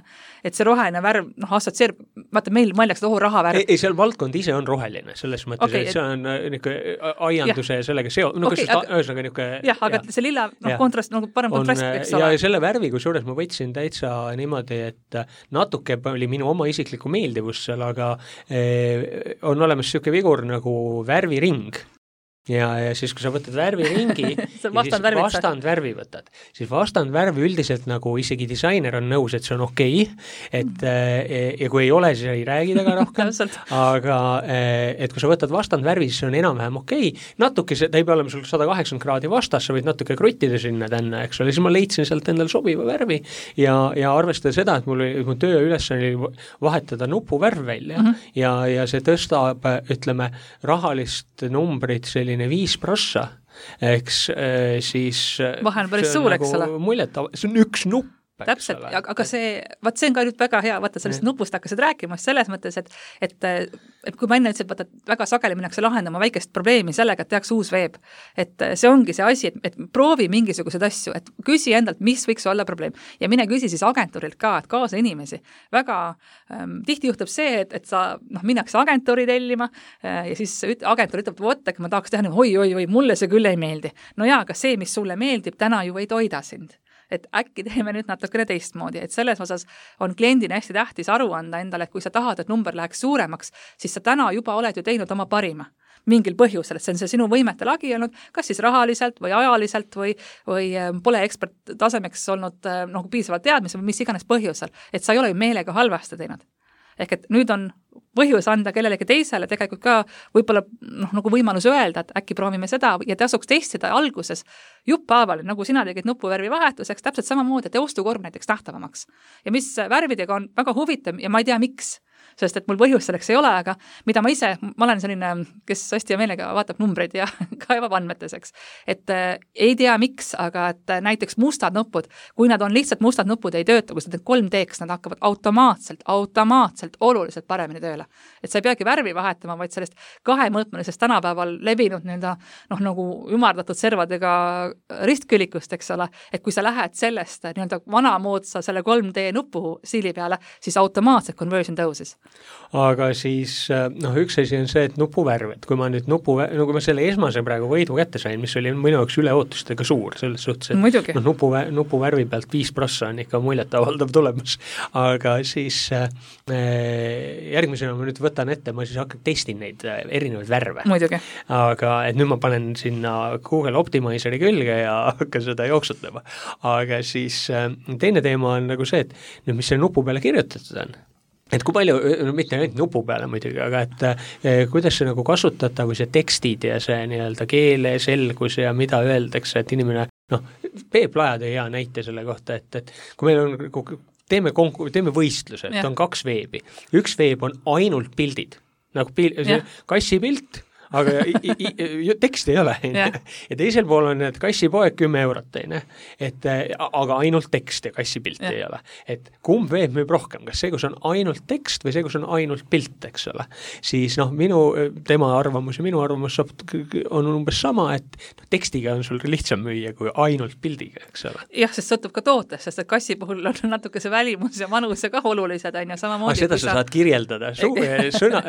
et see roheline värv, noh, assotsieerib, vaata, meil mõeldakse ohu rahavärv. Ei, ei, seal valdkond ise on roheline, selles mõttes, okay, et see on niisugune aianduse ja sellega seo-, no okay, kas just ühesõnaga niisugune jah, aga ja. see lilla, noh, kontrast, nagu parem on, kontrast võiks olla. Ja selle värvi, kui suures ma võtsin täitsa niimoodi, et natuke oli minu oma isiklikku meeldivust seal, aga eh, on olemas niisugune vigur nagu värviring. ja, ja siis, kui sa võtad värviringi ja siis vastand värvi võtad, siis vastand värvi üldiselt nagu isegi disainer on nõus, et see on okei, okay, et mm. ja kui ei ole, siis ei räägi taga rohkem, aga et kui sa võtad vastand värvi, siis see on enam-vähem okei, okay. natuke see, ta ei pea olema sul sada kaheksakümmend kraadi vastas, sa võid natuke kruttida sinna tänna, eks ole, siis ma leidsin sealt endale sobiva värvi ja, ja arvestada seda, et mul, mu töö üles oli vahetada nupuvärv välja mm -hmm. ja, ja see tõstab, ütleme, rahalist numbrit selline viis prossa, eks siis vahe on päris suur, eks ole. Muljet, see on üks nupp. Täpselt, aga see, vaat see on ka nüüd väga hea, vaata sellest nupust hakkasid rääkima selles mõttes, et, et, et kui ma enne ütlesin, vaata, et väga sageli minnakse lahendama väikest probleemi sellega, et tehakse uus veeb. Et see ongi see asi, et, et proovi mingisugused asju, et küsi endalt, mis võiks olla probleem. Ja mine küsi siis agentuurilt ka, et kaasa inimesi. Väga ähm, tihti juhtub see, et, et sa noh, minnakse agentuuri tellima äh, ja siis üt, agentuur ütleb, vot, et ma tahaks teha nii, oi, oi, oi, mulle see küll ei meeldi. No jaa, aga see, mis sulle meeldib, täna ju ei toida sind. Et äkki teeme nüüd natukene teistmoodi, et selles osas on kliendina hästi tähtis aru anda endale, et kui sa tahad, et number läheks suuremaks, siis sa täna juba oled ju teinud oma parima mingil põhjusel, et see on see sinu võimete lagi olnud, kas siis rahaliselt või ajaliselt või, või pole ekspert tasemeks olnud noh, piisavalt teadmise või mis iganes põhjusel, et sa ei ole ju meelega halvasti teinud. Ehk et nüüd on põhjus anda kellelegi teisele tegelikult ka võib-olla noh, nagu võimalus öelda, et äkki proovime seda ja tasuks testida alguses juppaaval, nagu sina tegid nupuvärvi vahetuseks, täpselt samamoodi, et ostukorv näiteks nähtavamaks. Ja mis värvidega on väga huvitav ja ma ei tea, miks, sest et mul põhjus selleks ei ole, aga mida ma ise, ma olen selline, kes hästi ja meelega vaatab numbreid ja kaevab andmeteseks, et äh, ei tea miks, aga et äh, näiteks mustad nupud, kui nad on lihtsalt mustad nupud ei tööta, kui nad kolm D-ks, nad hakkavad automaatselt, automaatselt oluliselt paremini tööle. Et sa ei peagi värvi vahetama, vaid sellest kahemõõtmelisest tänapäeval levinud nii-öelda noh, nagu ümardatud servadega ristkülikust, eks ole, et kui sa lähed sellest nii-öelda vanamoodsa selle kolm D nupu siili peale, siis automaatselt conversion tõusis. Aga siis noh, üks asi on see, et nupuvärv, et kui ma nüüd nupu, nagu ma selle esmase praegu võidu kätte sain, mis oli minu jaoks üleootustega suur, selles suhtes, et Muidugi. noh, nupu, nupuvärvi pealt viis prossa on ikka muljet avaldav tulemas, aga siis äh, järgmisena ma nüüd võtan ette, ma siis hakkan testin neid erinevaid värve. Muidugi. Aga et nüüd ma panen sinna Google Optimizeri külge ja hakkan seda jooksutama. Aga siis teine teema on nagu see, et nüüd mis selle nupu peale kirjutatud on. Et kui palju, no mitte ainult nupu peale muidugi, aga et eh, kuidas see nagu kasutada, kui see tekstid ja see nii-öelda keele selgus ja mida öeldakse, et inimene, noh, Peep Laja tõi hea näite selle kohta, et, et kui meil on teeme, konku, teeme võistluse, et on kaks veebi. Üks veeb on ainult pildid, nagu pil, see kassipilt, aga i, i, i, teksti ei ole. Ja. ja teisel pool on, et kassipoeg kümme eurot, teine. Et, aga ainult tekst ja kassipilti ja. Ei ole. Et kumb veeb müüb rohkem, kas see, kus on ainult tekst või see, kus on ainult pilt, eks ole. Siis noh, minu, tema arvamus ja minu arvamus on umbes sama, et no, tekstiga on sul lihtsam müüa kui ainult pildiga, eks ole. Jah, sest sõltub ka tootest, sest et kassi puhul on natuke see välimus ja manus ja ka olulised on ja samamoodi. Ah, seda sa saad kirjeldada su, sõna,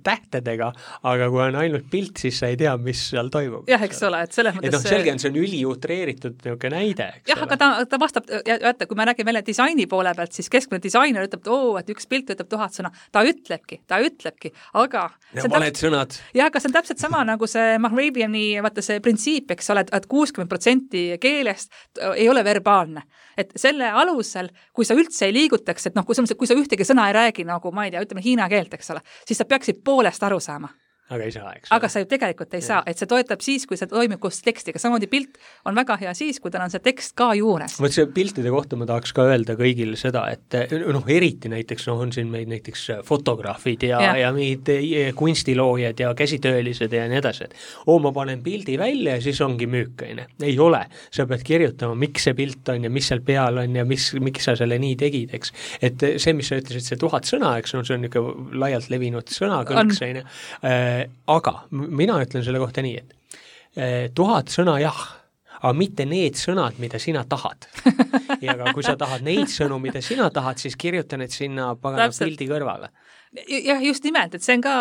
tähtedega, aga kui on ainult pilt, siis sa ei tea, mis seal toimub. Jah, eks ole, et selles mõttes... Et noh, selge on, see on üliutreeritud niisugune näide, eks jah, ole. Aga ta, ta vastab, jätta, kui me räägime jälle disaini poole pealt, siis keskmine disainer ütleb, oo, et üks pilt ütleb tuhat sõna. Ta ütlebki, ta ütlebki, aga... Ja valed täpselt, sõnad. Jah, aga see on täpselt sama nagu see Mahrabiani, vaata see printsiip, eks ole, et kuuskümmend protsenti keelest ei ole verbaalne. Et selle alusel, kui sa üldse ei liigutaks, et noh, kui sa, kui sa ühtegi sõna ei räägi, nagu ma ei tea, ütleme hiina keelt, eks ole, siis sa peaksid poolest aru saama. Aga ei saa, eks. Aga sa ju tegelikult ei ja. Saa, et see toetab siis, kui see toimib koos tekstiga. Samamoodi pilt on väga hea siis, kui tal on see tekst ka juures. Võt see piltide kohta ma tahaks ka öelda kõigile seda, et noh, eriti näiteks noh, on siin meid näiteks fotograafid ja, ja. ja meid kunstiloojad ja käsitöölised ja nii edasi, et oo, ma panen pildi välja ja siis ongi müükõine. Ei ole. Sa pead kirjutama, miks see pilt on ja mis seal peal on ja mis, miks sa selle nii tegid, eks. Et see, mis sa ütlesid, see tuhat sõna, eks, no see on niisugune laialt levinud sõna kõlkseine. Aga mina ütlen selle kohta nii, et tuhat sõna jah, aga mitte need sõnad, mida sina tahad. Ja aga kui sa tahad neid sõnu, mida sina tahad, siis kirjuta need sinna pagana pildi kõrvale. Jah, just nimelt, et see on ka,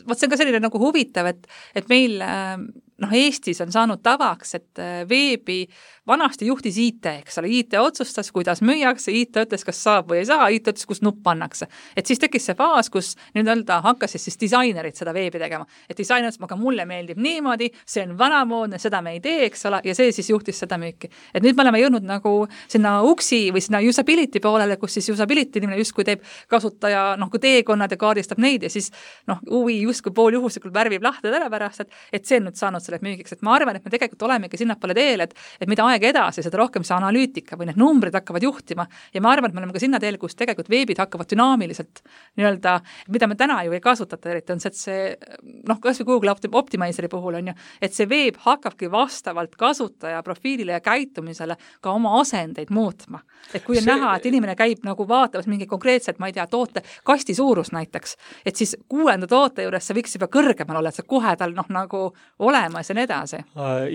võt see on ka selline nagu huvitav, et, et meil äh, noh, Eestis on saanud tavaks, et veebi vanasti juhtis I T, eks ole, I T otsustas, kuidas müüakse, I T ütles, kas saab või ei saa, I T ütles, kus nupp pannakse. Et siis tekkis see faas, kus nii-öelda hakkasid siis disainerid seda veebi tegema. Et disainerid, aga mulle meeldib niimoodi, see on vanamoodne, seda me ei tee, eks ole, ja see siis juhtis seda müüki. Et nüüd me oleme jõudnud nagu sinna uksi või sinna usability poolele, kus siis usability inimene justkui teeb kasutaja, noh, kui teekonnad ja kaardistab neid ja siis noh, uvi justkui pool juhuslikult värvib lahti täna pärast, et, et see on nüüd saanud selle müügiks. Et ma arvan, et me tegelikult olemegi sinnapoole teel, et, et mida aeg edasi, seda rohkem see analüütika või need numbrid hakkavad juhtima ja ma arvan, et me oleme ka sinna teel, kus tegelikult veebid hakkavad dünaamiliselt nii-öelda, mida me täna ju ei kasutata eriti, on see, et see noh, kas või Google Optimizeri puhul on ju, et see veeb hakkabki vastavalt kasutaja profiilile ja käitumisele ka oma asendeid muutma. Et kui on see... näha, et inimene käib nagu vaatamas mingi konkreetselt, ma ei tea, toote kasti suurus näiteks, et siis kuuenda toote juures see võiks juba kõrgemal olla, et see kohe tal noh nagu olemas ja nii edasi.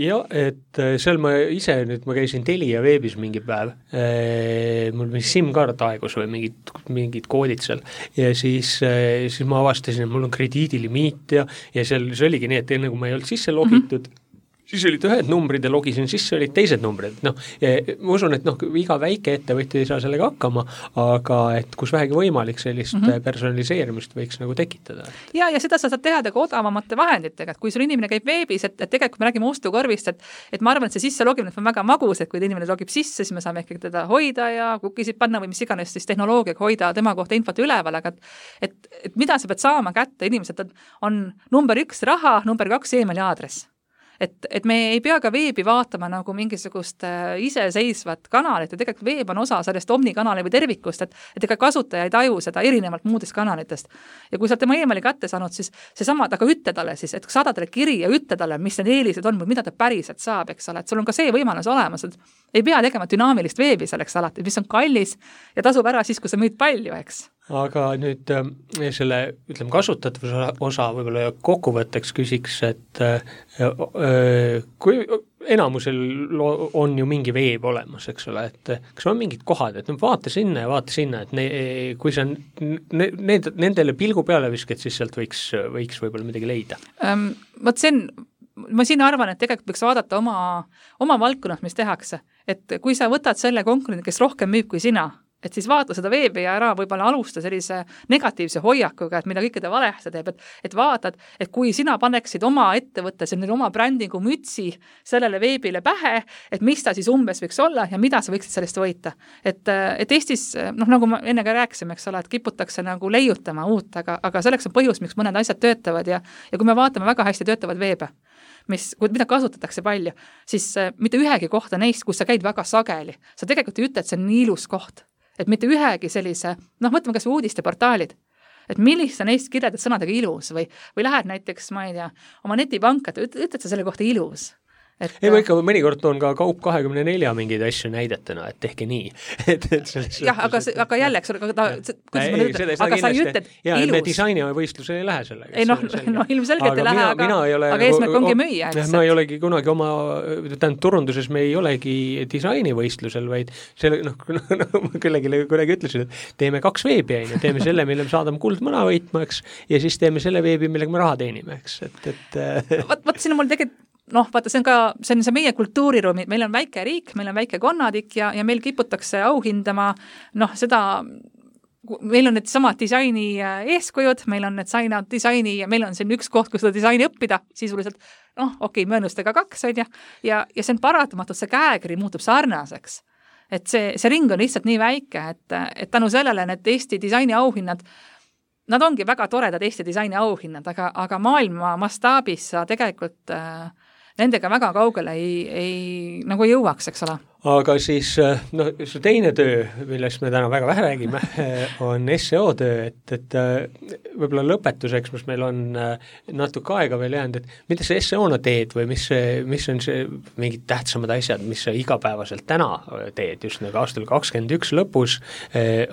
Ja, et seal ma ise nüüd ma käisin Telia veebis mingi päev, mul mingi SIM-kaart aegus või mingid, mingid koodid seal ja siis, siis ma avastasin, et mul on krediidilimiit ja, ja seal see oligi nii, et enne kui ma ei olnud sisse logitud, mm-hmm. siis olid ühed numbrid ja logisin sisse, olid teised numbrid. No, ma usun, et noh, iga väike ettevõtja ei saa sellega hakkama, aga et kus vähegi võimalik sellist mm-hmm. personaliseerimist võiks nagu tekitada. Ja, ja seda sa saad teha ka odavamate vahenditega, et kui sul inimene käib veebis, et, et tegelikult me räägime ostukorvist, et, et ma arvan, et see sisse logimine on väga magus, et kui inimene logib sisse, siis me saame ikkagi teda hoida ja kukisid panna või mis iganes siis tehnoloogiaga hoida tema kohta infot üleval, aga et, et, et mida sa pead saama kätte, inimesed on number üks raha, number kaks emaili aadress. Et, et me ei pea ka veebi vaatama nagu mingisugust äh, iseseisvat kanalit ja tegelikult veeb on osa sellest omnikanali või tervikust, et, et ega kasutaja ei taju seda erinevalt muudest kanalitest. Ja kui sa tema emaili kätte saanud, siis see sama, aga ütle talle siis, et saada talle kiri ja ütle talle, mis need eelised on või mida ta päriselt saab, eks ole, et sul on ka see võimalus olemas, et ei pea tegema dünaamilist veebi selleks alati, mis on kallis ja tasub ära siis, kui sa müüd palju, eks. Aga nüüd äh, selle, ütleme, kasutatavuse osa võib-olla kokkuvõtteks küsiks, et äh, äh, kui enamusel on ju mingi veeb olemas, eks ole, et kas on mingid kohad, et no, vaata sinna ja vaata sinna, et ne, kui sa ne, need, nendele pilgu peale viskad, siis sealt võiks, võiks võib-olla midagi leida. Um, võt see on, ma siin arvan, et tegelikult võiks vaadata oma, oma valdkonnas, mis tehakse, et kui sa võtad selle konkurendi, kes rohkem müüb kui sina, et siis vaata seda veebi ja ära võib-olla alusta sellise negatiivse hoiakuga, et mida kõike ta valehti teeb, et, et vaatad, et kui sina paneksid oma ettevõtte, selline oma brändingu mütsi sellele veebile pähe, et mis ta siis umbes võiks olla ja mida sa võiksid sellest võita. Et, et Eestis, noh, nagu ma enne ka rääkisime, eks ole, et kiputakse nagu leiutama uut, aga, aga selleks on põhjus, miks mõned asjad töötavad ja, ja kui me vaatame väga hästi töötavad veebe, mis, mida kasutatakse palju, siis mitte ühegi kohta neist, kus sa käid väga sageli, sa tegelikult ei ütle, et see on nii ilus koht. Et mitte ühegi sellise, noh, mõtleme kas või uudisteportaalid, et millist sa neist kirjeldad sõnadega ilus või, või lähed näiteks, ma ei tea, oma netipanka, ütled sa selle kohta ilus. Et, ei, ma ikka mõnikord on ka Kaup kahekümne nelja mingeid asju näidetena, et tehke nii. et, et jah, aga, aga jälle, eks ole, aga, ta, ei, ütled, aga sa ei ütled ja, ilus. Me disainivõistlusele ei lähe sellega. Ei, noh, no, ilmselgelt ei lähe, aga, mina ei ole, aga eesmärk ongi müüa. Eks, ma ei olegi kunagi oma, tähendab, turunduses me ei olegi disainivõistlusel, vaid selle, noh, no, ma küllegi, küllegi ütlesin, et teeme kaks veebi, ja teeme selle, mille me saadame kuldmõna võitma, eks, ja siis teeme selle veebi, millega me raha teenime, eks. Et, et, vaat, vaat siin on mul tegelikult noh, vaata, see on ka, see on see meie kultuuriruumi, meil on väike riik, meil on väike konnadik ja, ja meil kiputakse auhindama, noh, seda, meil on need samad disaini eeskujud, meil on need saina, disaini ja meil on siin üks koht, kus seda disaini õppida, sisuliselt, noh, okei, möönustega kaks, ja, ja, ja see on paratamatult, see käekiri muutub sarnaseks. Et see, see ring on lihtsalt nii väike, et, et tänu sellele need Eesti disaini auhinnad, nad ongi väga toredad Eesti disaini auhinnad, aga, aga maailma mastaabis sa tegelikult äh, nendega väga kaugele ei, ei nagu jõuaks, eks ole. Aga siis, noh, see teine töö, millest me täna väga vähe räägime, on S E O töö, et, et võib-olla lõpetuseks, mis meil on natuke aega veel jäänud, et mida sa S E O-na teed või mis, mis on see mingid tähtsamad asjad, mis sa igapäevaselt täna teed, just nagu aastal kakskümmend üks lõpus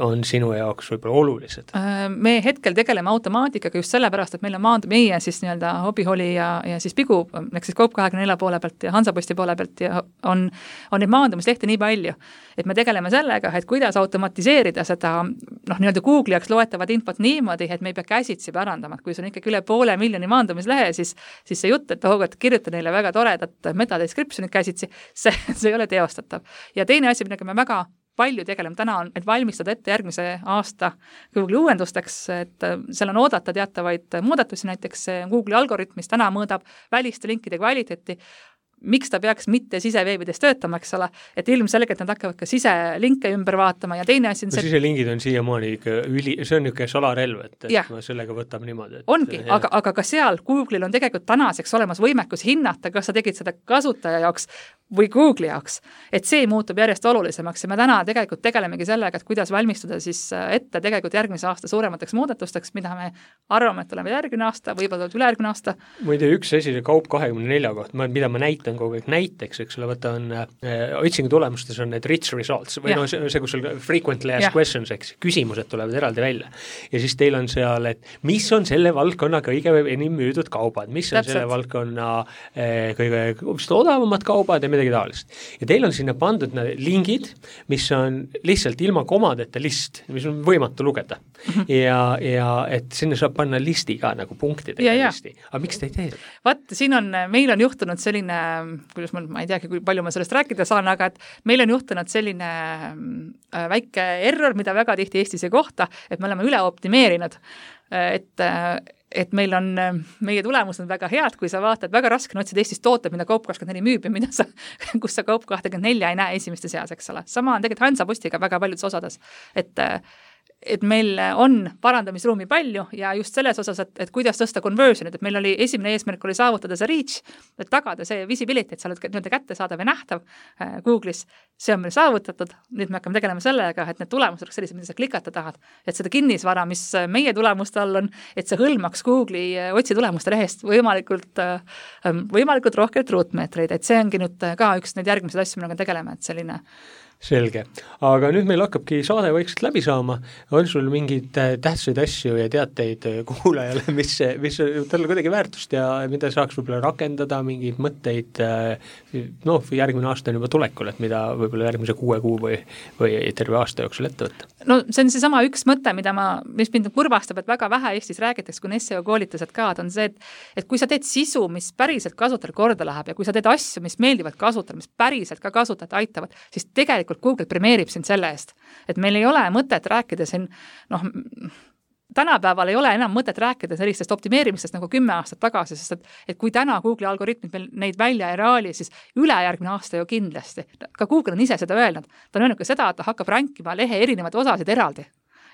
on sinu jaoks võib-olla olulised? Me hetkel tegeleme automaatikaga just sellepärast, et meil on maand, meie siis nii-öelda hobiholi ja, ja siis Pigu, eks siis Kaup kahekümne nelja poole pealt ja Hansaposti poole pealt ja on, on need maandumad maandumislehti nii palju, et me tegeleme sellega, et kuidas automatiseerida seda noh, nii-öelda Google'i jaoks loetavat infot niimoodi, et me ei pea käsitsi pärandama, et kui see on ikkagi üle poole miljoni maandumislehe, siis, siis see jutt, et oh, et kirjuta neile väga toredat metadescriptionit käsitsi, see, see ei ole teostatav. Ja teine asi, millega me väga palju tegeleme täna on, et valmistada ette järgmise aasta Google'i uuendusteks, et seal on oodata teatavaid muudatusi, näiteks Google'i algoritm, mis täna mõõdab väliste linkide kvaliteeti, miks ta peaks mitte siseveebides töötama, eks ole, et ilmselgelt nad hakkavad ka siselinke ümber vaatama ja teine asi on see... No siselingid on siiamaani ikka üli, see on niisugune salarelv, et, et yeah. sellega võtab niimoodi. Et, ongi, aga, aga ka seal Google'il on tegelikult tänaseks olemas võimekus hinnata, kas sa tegid seda kasutaja jaoks või Google'i jaoks, et see muutub järjest olulisemaks ja me täna tegelikult tegelemegi sellega, et kuidas valmistuda siis ette tegelikult järgmise aasta suuremateks muudatusteks, mida me arvame, et oleme järgmine aasta, võib-olla ülejärgmine aasta. Ma ei tea, üks asi, see kaup kahekümne nelja kohta, mida ma näitan kogu aeg näiteks, eks ole, võta on äh, otsingu tulemustes on need rich results või ja. no see, see, kus sul frequently asked questions, eks, küsimused tulevad eraldi välja. Ja siis teil on seal, et mis on selle valdkonna kõige enim müüdud kaubad, mis on Täpselt. selle valdkonna äh, kõige odavamad kaubad ja midagi taolist. Ja teil on sinna pandud lingid, mis on lihtsalt ilma komadeta list, mis on võimatu lugeda. Mm-hmm. Ja, ja et sinna saab panna listi ka nagu punktidega ja, listi. Aga miks te ei tee? Vaat, siin on, meil on juhtunud selline, kuidas ma, ma ei teagi, kui palju ma sellest rääkida saan, aga et meil on juhtunud selline väike error, mida väga tihti Eestis ei kohta, et me oleme üle optimeerinud, et et meil on, meie tulemused on väga head, kui sa vaatad, väga raske on otsida Eestis tooted, mida Kaup kakskümmend neli müüb ja mida sa, kus sa Kaup kakskümmend neli ei näe esimeste seas, eks ole. Sama on tegelikult Hansapostiga väga paljudes osades, et et meil on parandamisruumi palju ja just selles osas, et, et kuidas tõsta conversionit, et meil oli esimene eesmärk oli saavutada see reach, et tagada see visibility, et sa oled nii-öelda kättesaadav ja nähtav äh, Google'is, see on meil saavutatud, nüüd me hakkame tegelema sellega, et need tulemused oleks sellised, mida sa klikata tahad, et seda kinnisvara, mis meie tulemuste all on, et see hõlmaks Google'i otsi tulemuste lehest võimalikult, äh, võimalikult rohkelt ruutmeetreid, et see ongi nüüd ka üks neid järgmised asju, millega tegeleme, et selline Selge. Aga nüüd meil hakkabki saade vaikselt läbi saama. On sul mingid tähtsaid asju ja teateid kuulajale, mis, mis talle kuidagi väärtust ja mida saaks võib-olla rakendada, mingeid mõtteid, noh, järgmine aasta on juba tulekul, et mida võib-olla järgmise kuue kuu või, või terve aasta jooksul ette võtta? No see on see sama üks mõte, mida ma, mis mind kurvastab, et väga vähe Eestis räägitakse, kui on S E O koolitused ka, on see, et, et kui sa teed sisu, mis päriselt kasutajal korda läheb ja kui sa teed asju, mis meeldivad kasutajal, mis päriselt ka kasutajat aitavad, siis tegelikult Google premeerib sind selle eest, et meil ei ole mõtet rääkida siin, noh, tänapäeval ei ole enam mõtet rääkida sellistest optimeerimistest nagu kümme aastat tagasi, sest et, et kui täna Google'i algoritmid meil neid välja ei raali, siis ülejärgmine aasta ju kindlasti. Ka Google on ise seda öelnud. Ta on öelnud ka seda, et ta hakkab rankima lehe erinevaid osasid eraldi.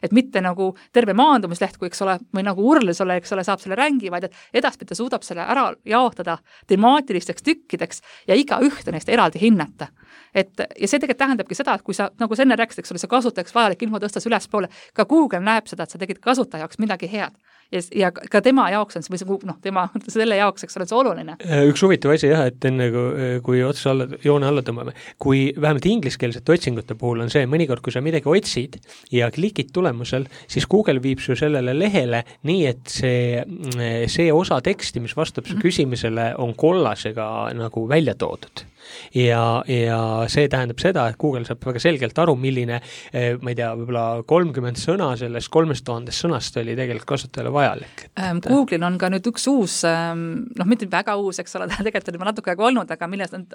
Et mitte nagu terve maandumisleht, kui eks ole, või nagu urlis ole, eks ole, saab selle rängi, vaid et edaspidi ta suudab selle ära jaotada temaatilisteks tükkideks ja iga ühte neist eraldi hinnata. Et, ja see tegelikult tähendabki seda, et kui sa, nagu sa enne rääkisid, eks ole, see kasutajaks vajalik info tõstas ülespoole, ka Google näeb seda, et sa tegid kasutaja jaoks midagi head. Ja, ja ka tema jaoks on see, või noh, tema, selle jaoks, eks ole, see oluline. Üks huvitav asi jah, et enne kui otsa alla, joone alla tõmbame, kui vähemalt ingliskeelsete otsingute puhul on see, mõnikord, kui sa midagi otsid ja klikid tulemusel, siis Google viib su sellele lehele nii, et see, see osa teksti, mis vastab su küsimusele, on kollasega nagu välja toodud. Ja, ja see tähendab seda, et Google saab väga selgelt aru, milline, ma ei tea, võib-olla kolmkümmend sõna sellest kolmest tuhandest sõnast oli tegelikult kasutajale vajalik. Et... Google'il on ka nüüd üks uus, noh, mitte väga uus, eks ole, ta tegelikult on juba natuke aega olnud, aga millest on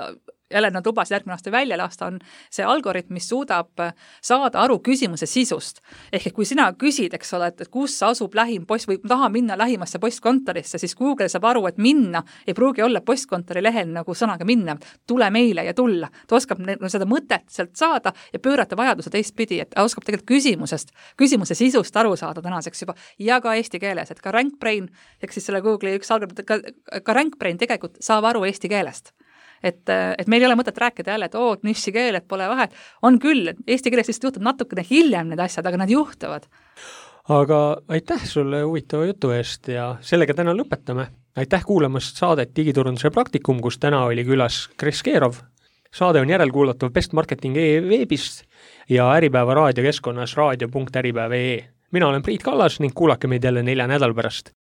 jälle nad lubasid järgmine aasta välja lasta, on see algoritm, mis suudab saada aru küsimuse sisust. Ehk kui sina küsid, eks ole, et kus asub lähim post või taha minna lähimasse postkontorisse, siis Google saab aru, et minna ei pruugi olla postkontori lehel nagu sõnaga minna, tule meile ja tulla. Ta oskab seda mõtet sealt saada ja pöörata vajaduse teistpidi, et ta oskab tegelikult küsimusest, küsimuse sisust aru saada tänaseks juba ja ka eesti keeles, et ka RankBrain, ehk siis selle Google'i üks algoritm, ka, ka RankBrain tegelikult saab aru eesti keelest. Et, et meil ei ole mõtet rääkida jälle, et oo, niši keel, et pole vahet. On küll, et eesti keeles lihtsalt juhtub natukene hiljem need asjad, aga nad juhtuvad. Aga aitäh sulle huvitava jutu eest ja sellega täna lõpetame. Aitäh kuulamast saadet Digiturunduse praktikum, kus täna oli külas Kris Keerov. Saade on järelkuulatav Best Marketing e-veebist ja Äripäeva raadiokeskkonnas raadio punkt äripäev punkt ee. Mina olen Priit Kallas ning kuulake meid jälle nelja nädal pärast.